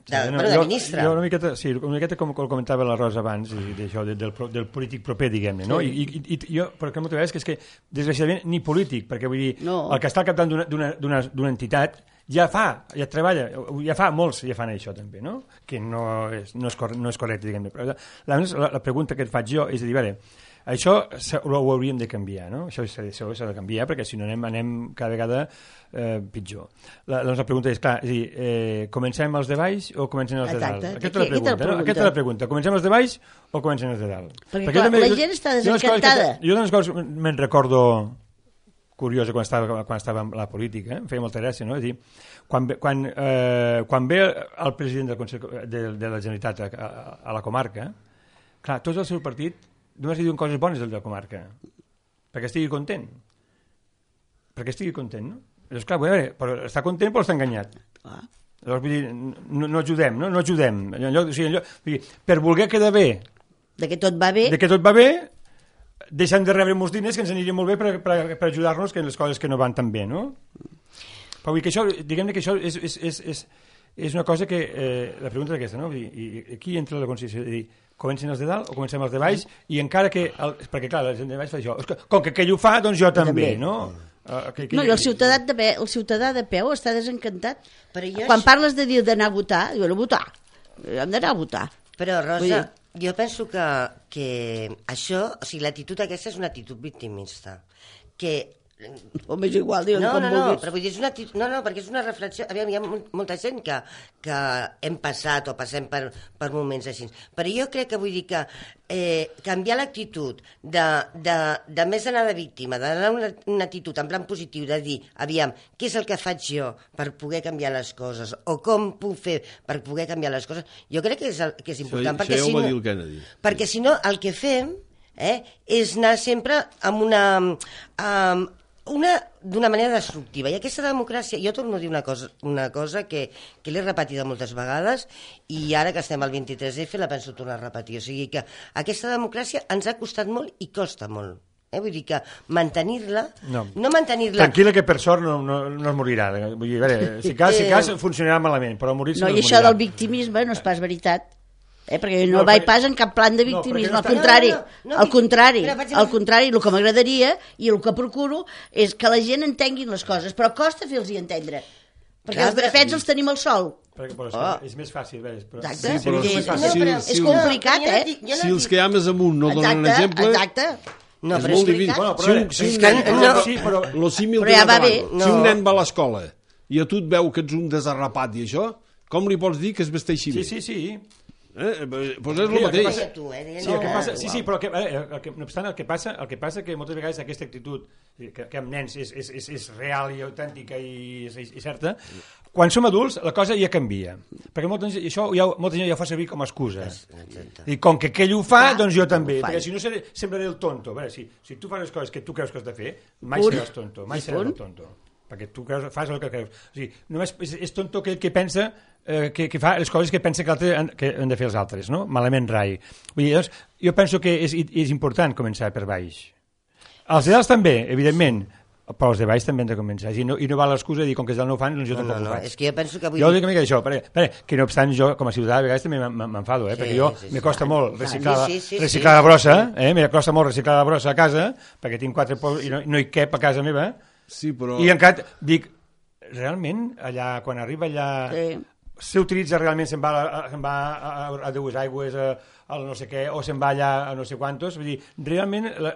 De ministre. Jo una miqueta com comentava la Rosa abans, i d'això, del polític proper, diguem-ne, no? I jo, perquè moltes vegades, que és que, desgraciadament, ni polític, perquè vull dir, el que està al capdavant d'una entitat ja treballa, ja fa molts ja fan això també, no? Que no és correcte, diguem-ne. La pregunta que et faig jo és de dir, veure, això ho hauríem de canviar, no? Això s'ha de canviar, perquè si no anem cada vegada pitjor. Doncs la pregunta és, clar, comencem els de baix o comencem els de dalt? Aquesta és la pregunta. Comencem els de baix o comencem els de dalt? Perquè clar, la gent està desencantada. Jo d'unes coses me'n recordo curiosa quan estava en la política, em feia molta gràcia, no? És dir, quan ve el president del Consell de la Generalitat a la comarca, clar, tots del seu partit només li diuen coses bones del de la comarca, perquè estigui content, no? Llavors, clar, però està content però està enganyat. Llavors, vull dir, no ajudem, no ajudem. Per voler quedar bé, de que tot va bé, deixem de rebre molts diners que ens aniria molt bé per ajudar-nos en les coses que no van tan bé, no? Però vull dir que això, diguem-ne que això és una cosa que, la pregunta és aquesta, no? I aquí entra la consciència de dir, comencen els de dalt o comencem els de baix, i encara que... perquè, clar, la gent de baix fa això. Com que aquell ho fa, doncs jo també, no? No, i el ciutadà de peu està desencantat. Quan parles de dir d'anar a votar, diuen a votar. Hem d'anar a votar. Però, Rosa, jo penso que això, o sigui, l'actitud aquesta és una actitud victimista. Que o més igual, diuen com vulguis. Però vull dir, perquè és una reflexió. Aviam, hi ha molta gent que hem passat o passem per moments així. Però jo crec que vull dir que canviar l'actitud de més anar de víctima, d'anar una actitud en plan positiu, de dir, aviam, què és el que faig jo per poder canviar les coses, o com puc fer per poder canviar les coses, jo crec que és important. Això ja ho va dir el Kennedy. Perquè si no, el que fem és anar sempre amb d'una manera destructiva, i aquesta democràcia, jo torno a dir una cosa que l'he repetida moltes vegades, i ara que estem al 23F la penso tornar a repetir, o sigui que aquesta democràcia ens ha costat molt i costa molt, vull dir que mantenir-la, no mantenir-la... Tranquil·la, que per sort no es morirà, vull dir, a veure, si cas funcionarà malament, però morir-se no es morirà. I això del victimisme no és pas veritat. Perquè no vaig pas en cap plan de victimisme, al contrari, al contrari, el que m'agradaria i el que procuro és que la gent entengui les coses, però costa fer-los entendre, perquè els drapets els tenim al sol. És més fàcil, però... És complicat, Si els que hi ha més amunt no donen un exemple... Exacte. No, però és difícil. Si un nen va a l'escola i a tu et veu que ets un desarrapat i això, com li pots dir que es vesteixi bé? Sí. Doncs és el mateix. Sí, però no obstant, el que passa que moltes vegades aquesta actitud que amb nens és real i autèntica i certa, quan som adults la cosa ja canvia, perquè molta gent ja ho fa servir com a excusa, i com que aquell ho fa, doncs jo també, perquè si no sembraré el tonto. Si tu fas les coses que tu creus que has de fer, mai seràs tonto, perquè tu fas el que creus. O sigui, només és tonto aquell que pensa que fa les coses que pensa que han de fer els altres, no? Malament rai. Vull dir, doncs, jo penso que és important començar per baix. Els de dalt també, evidentment, però els de baix també han de començar. I no val l'excusa de dir, com que els dalt no ho fan, doncs jo tampoc ho faig. És que jo penso que avui... Jo dic una mica d'això, que no obstant jo, com a ciutadà, a vegades també m'enfado, perquè jo me costa molt reciclar la brossa, me costa molt reciclar la brossa a casa, perquè tinc 4 pols i no hi cap a casa meva, i encara dic, realment, allà, quan arriba allà... s'utilitza realment, se'n va a dues aigües al no sé què, o se'n va allà a no sé quantos, vull dir, realment la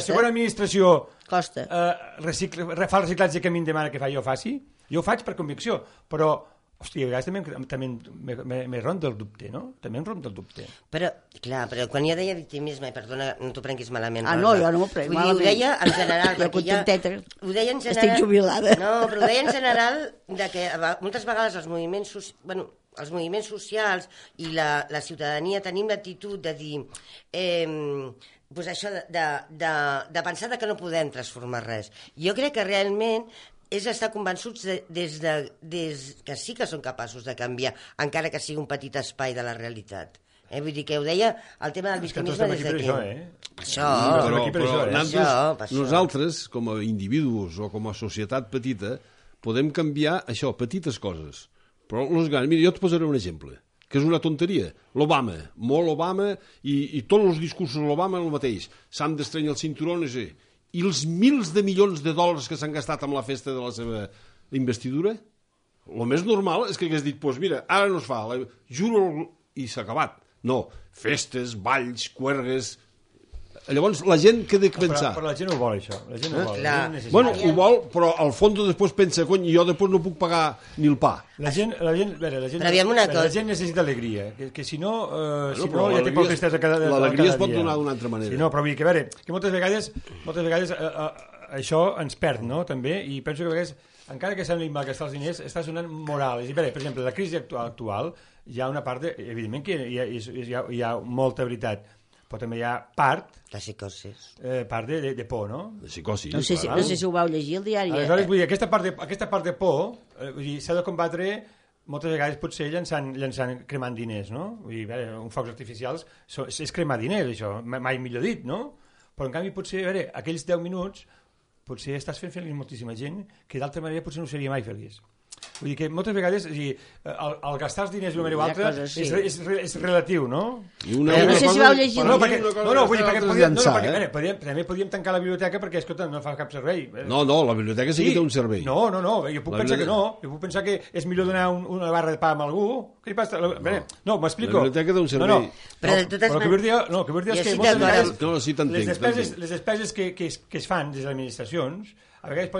segona administració fa el reciclatge que a mi em demana que jo faci, jo ho faig per convicció, però hòstia, a vegades també me ronda el dubte, no? També em ronda el dubte. Però, clar, quan jo deia victimisme, perdona, no t'ho prenguis malament. No, jo no m'ho prenc malament. Ho deia en general, perquè estic jubilada. No, però ho deia en general que moltes vegades els moviments socials i la ciutadania tenim l'actitud de dir pues això de pensar que no podem transformar res. Jo crec que realment és estar convençuts que sí que són capaços de canviar, encara que sigui un petit espai de la realitat. Vull dir que ho deia el tema del victimisme des d'aquí. Nosaltres, com a individus o com a societat petita, podem canviar això, petites coses. Però els grans, mira, jo et posaré un exemple, que és una tonteria. L'Obama, molt Obama, i tots els discursos de l'Obama el mateix. S'han d'estrenyar el cinturó, no sé. I els milers de milions de dòlars que s'han gastat amb la festa de la seva investidura, el més normal és que hagués dit, doncs mira, ara no es fa, juro, i s'ha acabat. No, festes, balls, cuergues... Llavors la gent què ha de pensar? Però la gent ho vol, això. La gent ho vol. Bueno, ho vol, però al fons després pensa, cony, jo després no puc pagar ni el pa. La gent necessita alegria, que si no ja té poc tristesa cada dia. L'alegria es pot donar d'una altra manera. Sí, no, però vull dir que, a veure, que moltes vegades això ens perd, no?, també, i penso que a vegades, encara que sembli malgastar els diners, està sonant moral. És a dir, per exemple, la crisi actual, hi ha una part, evidentment que hi ha molta veritat, però també hi ha part la psicosis, part de por, no? De psicosi. No sé si ho vau llegir al diari. Aleshores, vull dir, aquesta part de por s'ha de combatre moltes vegades potser llançant cremant diners, no? Vull dir, uns focs artificials és cremar diners, això, mai millor dit, no? Però en canvi potser, a veure, aquells 10 minuts potser estàs fent feliç moltíssima gent que d'altra manera potser no seria mai feliç. Vull dir que moltes vegades el gastar els diners d'una manera o altra és relatiu, no? No sé si vau llegir. També podíem tancar la biblioteca perquè, escolta, no fa cap servei. No, la biblioteca sí que té un servei. No, jo puc pensar que no. Jo puc pensar que és millor donar una barra de pa a algú. Què li passa? No, m'explico. La biblioteca té un servei. Però el que vull dir és que moltes vegades les despeses que es fan des de les administracions a vegades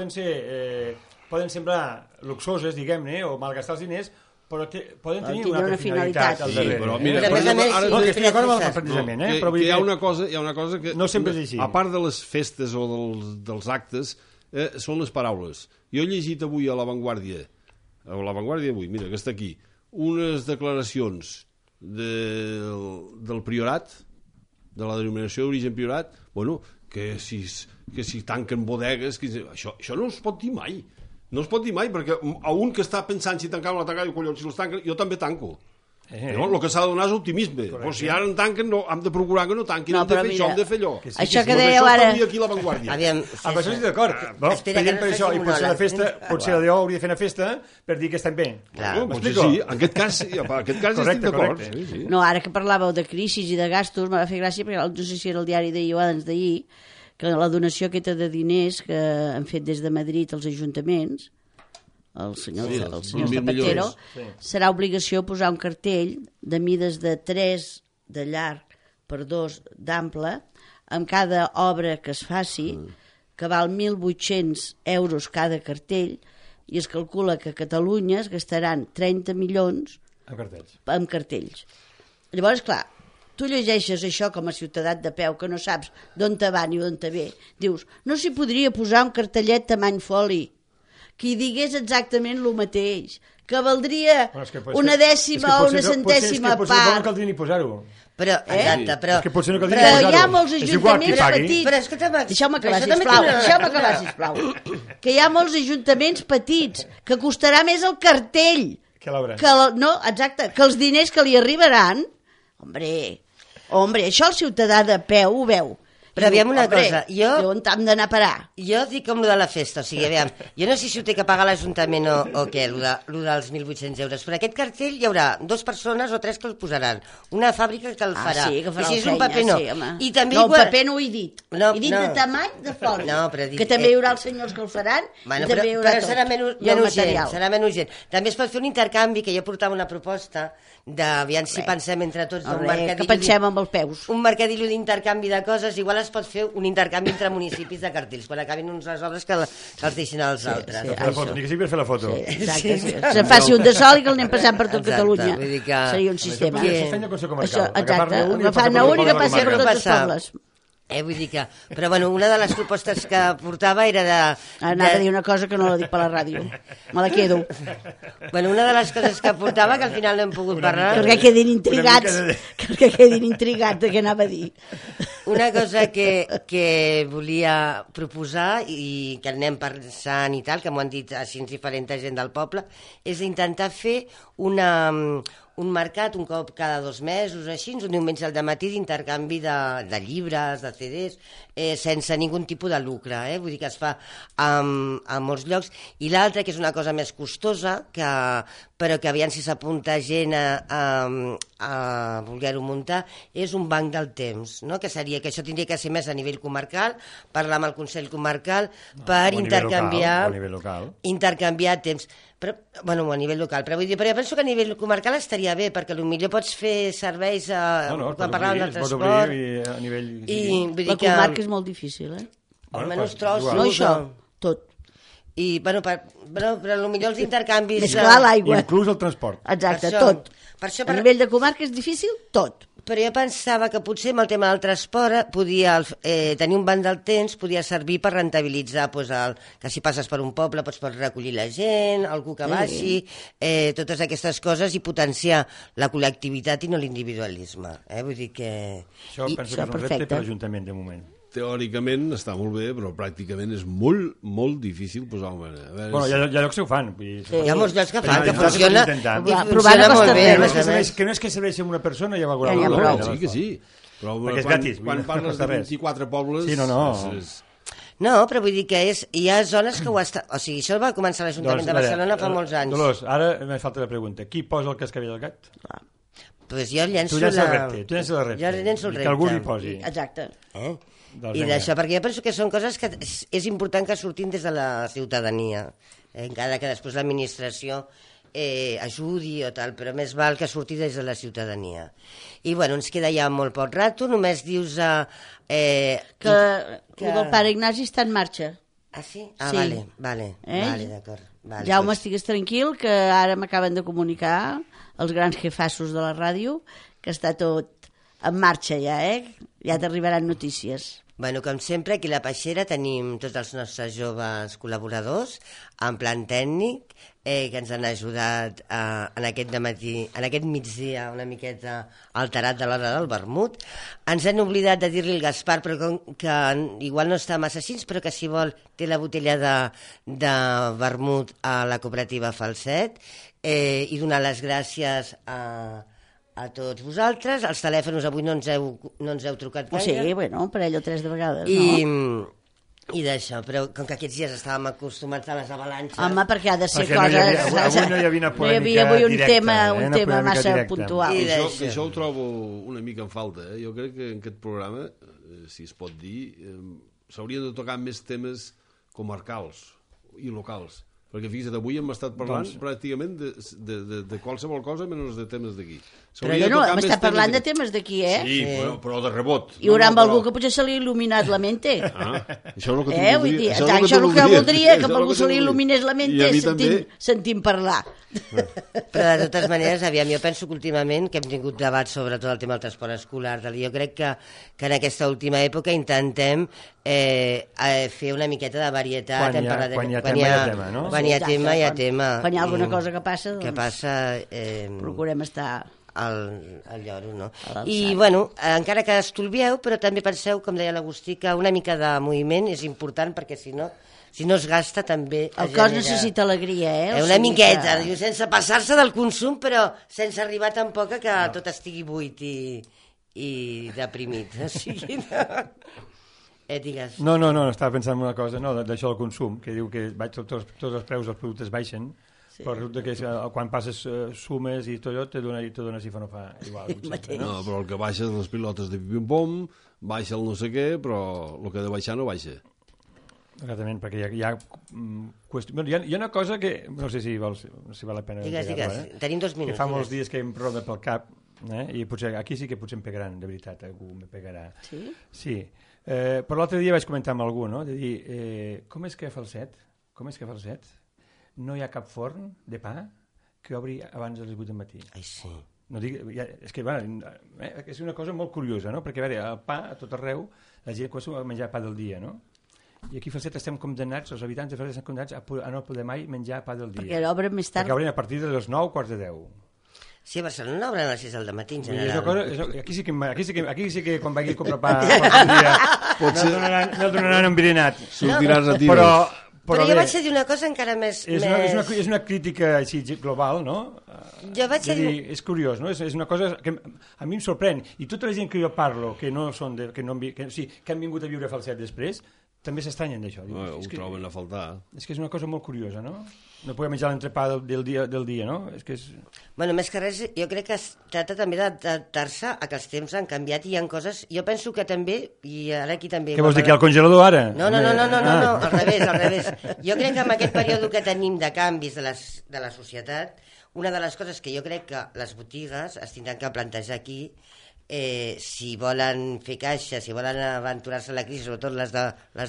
poden semblar luxoses, diguem-ne, o malgastar els diners, però poden tenir una altra finalitat al darrere. Però mira, no, que estic d'acord amb el plantejament, però hi ha una cosa que no sempre és així. A part de les festes o dels actes, són les paraules. Jo he llegit avui a La Vanguardia avui, mira, que està aquí, unes declaracions del Priorat, de la denominació d'origen Priorat, bueno, que si tanquen bodegues, això no es pot dir mai. No es pot dir mai, perquè a un que està pensant si tancar o no tancar, collons, si els tanquen, jo també tanco. El que s'ha de donar és optimisme. Si ara en tanquen, hem de procurar que no tanquin, hem de fer això, hem de fer allò. Això que dèieu ara... Aquí a l'avantguàrdia. Amb això estic d'acord. Veient per això, i potser la DO hauria de fer una festa per dir que estem bé. Potser sí, en aquest cas estic d'acord. No, ara que parlàveu de crisis i de gastos, m'ha fet gràcia, perquè no sé si era el diari d'ahir o abans d'ahir, que la donació aquesta de diners que han fet des de Madrid als ajuntaments, el senyor Zapatero, serà obligació posar un cartell de mides de 3 de llarg per 2 d'ample amb cada obra que es faci, que val 1.800 euros cada cartell, i es calcula que a Catalunya es gastaran 30 milions en cartells. Llavors, clar, tu llegeixes això com a ciutadà de peu, que no saps d'on te va ni d'on te ve, dius, no s'hi podria posar un cartellet tamany foli que digués exactament el mateix, que valdria una dècima o una centèsima part. Potser no caldria ni posar-ho. Però, exacte, però hi ha molts ajuntaments petits. Deixeu-me acabar, sisplau. Que hi ha molts ajuntaments petits, que costarà més el cartell. Que l'obra. No, exacte, que els diners que li arribaran... Hombre, això el ciutadà de peu ho veu. Però aviam una cosa, on hem d'anar a parar? Jo dic com lo de la festa, o sigui, aviam, jo no sé si ho té que pagar l'Ajuntament o què, lo dels 1.800 euros, però aquest cartell hi haurà 2 persones o 3 que el posaran, una fàbrica que el farà, sí, que farà i si és un paper no. I també el paper no ho he dit, he dit de tamany de foli, que també hi haurà els senyors que el faran, i també hi haurà tot. Serà menys gent. També es pot fer un intercanvi, que jo portava una proposta, d'aviam si pensem entre tots que pensem amb els peus, un mercadillo d'intercanvi de coses, igual es pot fer un intercanvi entre municipis de cartells quan acabin uns les obres que els deixin als altres. Ni que sigui per fer la foto. Exacte, se faci un de sol i que el anem passant per tot Catalunya, seria un sistema. Exacte, agafant un i que passi per tots els pobles. Vull dir que... Però, bueno, una de les propostes que portava era de... Anava a dir una cosa que no la dic per la ràdio. Me la quedo. Bueno, una de les coses que portava, que al final no hem pogut parlar... Perquè quedin intrigats. Que quedin intrigats de què anava a dir. Una cosa que volia proposar i que anem pensant i tal, que m'ho han dit així diferent gent del poble, és intentar fer un mercat un cop cada 2 mesos, així, un diumenge al dematí d'intercanvi de llibres, de CDs, sense ningun tipus de lucre, vull dir que es fa a molts llocs. I l'altra, que és una cosa més costosa, però que aviam si s'apunta gent a voler-ho muntar, és un banc del temps, no? Que seria que això tindria que ser més a nivell comarcal, parlar amb el Consell Comarcal per intercanviar temps. Però, bueno, a nivell local, però vull dir, però jo penso que a nivell comarcal estaria bé, perquè potser pots fer serveis quan parlàvem del transport. La comarca és molt difícil, Almenys trossos. No això, tot. I, bueno, però potser els intercanvis... Més clar l'aigua. Inclús el transport. Exacte, tot. A nivell de comarca és difícil, tot. Però jo pensava que potser amb el tema del transport tenir un banc del temps podia servir per rentabilitzar que si passes per un poble pots recollir la gent, algú que baixi, totes aquestes coses i potenciar la col·lectivitat i no l'individualisme. Vull dir que... Això penso que és un repte per l'Ajuntament de moment. Teòricament està molt bé, però pràcticament és molt, molt difícil posar un... Bueno, hi ha llocs que ho fan. Hi ha molts llocs que fan, que funciona molt bé. Que no és que serveixi amb una persona, ja va prou. Sí que sí. Però perquè és gratis. Quan parles de 24 pobles... Sí, no. No, però vull dir que hi ha zones que ho estan... O sigui, això va començar a l'Ajuntament de Barcelona fa molts anys. Dolors, ara me falta la pregunta. Qui posa el cascavell al gat? Pues jo llenço el repte. Tu llenço el repte. Jo llenço el repte. Que algú li posi. Exacte. I d'això, perquè jo penso que són coses que és important que surtin des de la ciutadania, encara que després l'administració ajudi o tal, però més val que surti des de la ciutadania. I bueno, ens queda ja molt poc rato, només dius que el pare Ignasi està en marxa. Ah, sí? Ah, sí. Vale, d'acord. Jaume, estigues tranquil, que ara m'acaben de comunicar els grans jefassos de la ràdio que està tot en marxa ja, ja t'arribaran notícies. Bueno, com sempre, aquí a la Peixera tenim tots els nostres joves col·laboradors en plan tècnic que ens han ajudat en aquest migdia una miqueta alterat de l'hora del vermut. Ens hem oblidat de dir-li al Gaspar, però que igual no està massa així, però que si vol té la botella de vermut a la cooperativa Falset, i donar les gràcies a a tots vosaltres. Els telèfons avui no ens heu trucat gaire. Sí, bueno, un parell o 3 de vegades, no? I d'això, però com que aquests dies estàvem acostumats a les avalanxes... Home, perquè ha de ser coses... Avui no hi havia una polèmica avui un directa. Un tema massa puntual. I això ho trobo una mica en falta. Jo crec que en aquest programa, si es pot dir, s'haurien de tocar més temes comarcals i locals. Perquè fixa't, avui hem estat parlant pràcticament de qualsevol cosa menys de temes d'aquí. Però jo no, hem estat parlant de temes d'aquí, Sí, però de rebot. Hi haurà algú que potser se li ha il·luminat la mente. Això és el que tu voldries. Això és el que voldria, que algú se li il·luminés la mente sentint parlar. Però de totes maneres, aviam, jo penso que últimament que hem tingut debats sobre tot el tema del transport escolar, jo crec que en aquesta última època intentem fer una miqueta de varietat. Quan hi ha tema, hi ha tema, no? Quan hi ha tema, hi ha tema. Quan hi ha alguna cosa que passa, doncs procurem estar al lloro, no? I, bueno, encara que estolvieu, però també penseu, com deia l'Agustí, que una mica de moviment és important, perquè si no es gasta també... El cos necessita alegria, una miqueta, sense passar-se del consum, però sense arribar tampoc a que tot estigui buit i deprimit. O sigui, digues... No, estava pensant en una cosa, d'això del consum, que diu que tots els preus dels productes baixen, però resulta que quan passes sumes i tot allò te dona si fa no fa igual. No, però el que baixa és les pilotes de pim-pom, baixa el no sé què, però el que ha de baixar no baixa. Exactament, perquè hi ha una cosa que no sé si val la pena digues, tenim 2 minuts, que fa molts dies que em roda pel cap, i potser aquí sí que potser em pegaran, de veritat, algú me pegarà. Sí, però l'altre dia vaig comentar amb algú, no? De dir, com és que a Falset no hi ha cap forn de pa que obri abans de les 8 del matí? Ai, sí. No dic, és que és una cosa molt curiosa, no? Perquè a veure, el pa a tot arreu la gent comença a menjar pa del dia, no? I aquí a Falset estem condemnats, els habitants de Falset estan condemnats a no poder mai menjar pa del dia. Perquè obren més tard. Perquè obren a partir de les 9, quarts de 10. Sí, a Barcelona obren a les 6 del matí, en general. Aquí sí que quan vagi a comprar pa el dia no donaran un virinat. Sortiràs a tires. Però jo vaig a dir una cosa encara més... És una crítica així global, no? Jo vaig a dir... És curiós, no? És una cosa que a mi em sorprèn. I tota la gent que jo parlo, que han vingut a viure a Falset després, també s'estranyen d'això. Ho troben a faltar. És que és una cosa molt curiosa, no? No poder menjar l'entrepà del dia, no? Bueno, més que res, jo crec que es tracta també d'adaptar-se a que els temps han canviat i hi ha coses... Jo penso que també, i ara aquí també... Què vols dir, que hi ha el congelador ara? No, al revés. Jo crec que en aquest període que tenim de canvis de la societat, una de les coses que jo crec que les botigues es tindran que plantejar aquí, si volen fer caixa, si volen aventurar-se a la crisi, sobretot les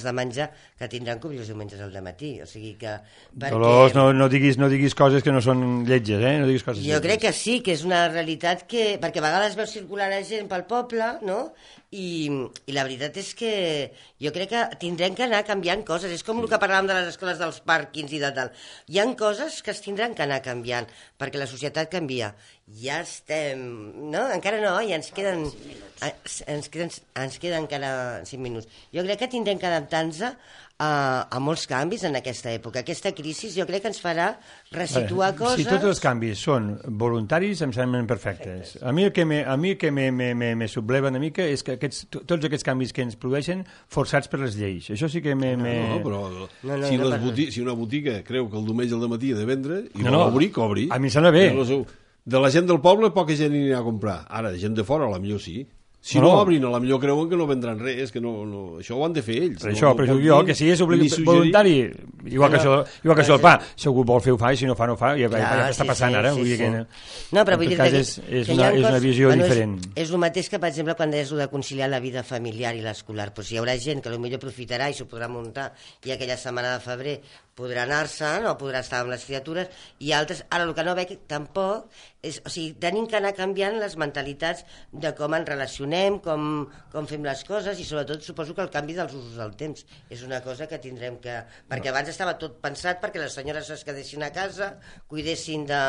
de menjar, que tindran que obrir els diumenges al dematí. O sigui que... Dolors, no diguis coses que no són lletges, No diguis coses jo crec que sí, que és una realitat que... Perquè a vegades veus circular la gent pel poble, no? I la veritat és que jo crec que tindrem que anar canviant coses. És com el que parlàvem de les escoles dels pàrquings i de tal. Hi ha coses que es tindran que anar canviant, perquè la societat canvia. Ja estem... No? Encara no, i ens queden encara 5 minuts. Jo crec que tindrem que adaptar-nos a molts canvis en aquesta època. Aquesta crisi jo crec que ens farà resituar coses... Si tots els canvis són voluntaris, em semblen perfectes. A mi el que me subleva una mica és que tots aquests canvis que ens produeixen forçats per les lleis. Això sí que si una botiga creu que el diumenge al dematí ha de vendre i vol obrir, que obri. A mi em sembla bé. De la gent del poble poca gent hi anirà a comprar. Ara, gent de fora, a la millor sí. Si no obrin, a la millor creuen que no vendran res, que això ho han de fer ells. Però jo, que si és voluntari, igual que això el pa, si algú vol fer ho fa, i si no fa, no fa, i està passant ara. No, però vull dir que és una visió diferent. És el mateix que, per exemple, quan deies de conciliar la vida familiar i l'escolar. Hi haurà gent que potser aprofitarà i s'ho podrà muntar, i aquella setmana de febrer podrà anar-se'n o podrà estar amb les criatures, i altres, ara el que no veig tampoc és, o sigui, tenim que anar canviant les mentalitats de com ens relacionem, com fem les coses, i sobretot suposo que el canvi dels usos del temps és una cosa que tindrem que... Perquè abans estava tot pensat perquè les senyores es quedessin a casa, cuidessin de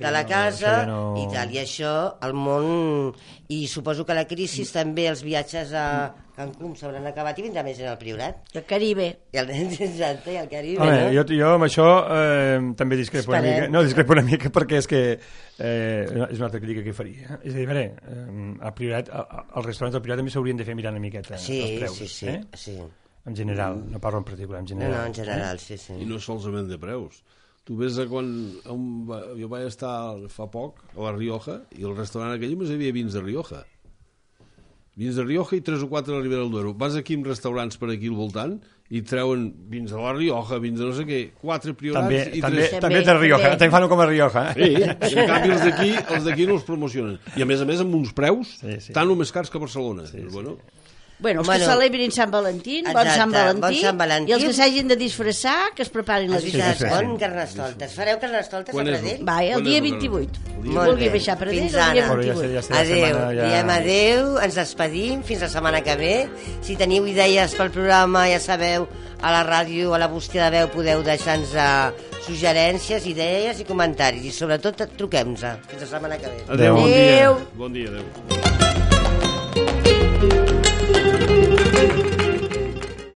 la casa i tal, i això, el món... I suposo que la crisi també, els viatges a Cancún s'hauran acabat i vindrà més en el Priorat. I el Caribe. Exacte, i el Caribe, home, no? Jo amb això també discrepo una mica. No, discrepo una mica perquè és que és una altra crítica que faria. És a dir, al Priorat, els restaurants del Priorat també s'haurien de fer mirar una miqueta els preus. Sí. En general, no parlo en particular, en general. No, en general, sí. I no solament de preus. Tu ves quan jo vaig estar fa poc a la Rioja i el restaurant aquell només hi havia vins de Rioja. Vins de Rioja i 3 o 4 a la Ribera del Duero. Vas aquí en restaurants per aquí al voltant i treuen vins de la Rioja, vins de no sé què, 4 Priorats i 3... També de Rioja, també fan com a Rioja. Sí, en canvi els d'aquí no els promocionen. I a més amb uns preus tan o més cars que a Barcelona. Bueno, els que celebrin Sant Valentí, bon Sant Valentí, i els que s'hagin de disfressar, que es preparin les disfresses. Bon Carnestoltes. Fareu Carnestoltes a Pradell? Va, el dia 28. Vulgui baixar a Pradell, el dia 28. Adéu, diem adéu, ens despedim, fins la setmana que ve. Si teniu idees pel programa, ja sabeu, a la ràdio, a la bústia de veu, podeu deixar-nos suggerències, idees i comentaris. I sobretot truquem-nos. Fins la setmana que ve. Adéu. Bon dia, adéu.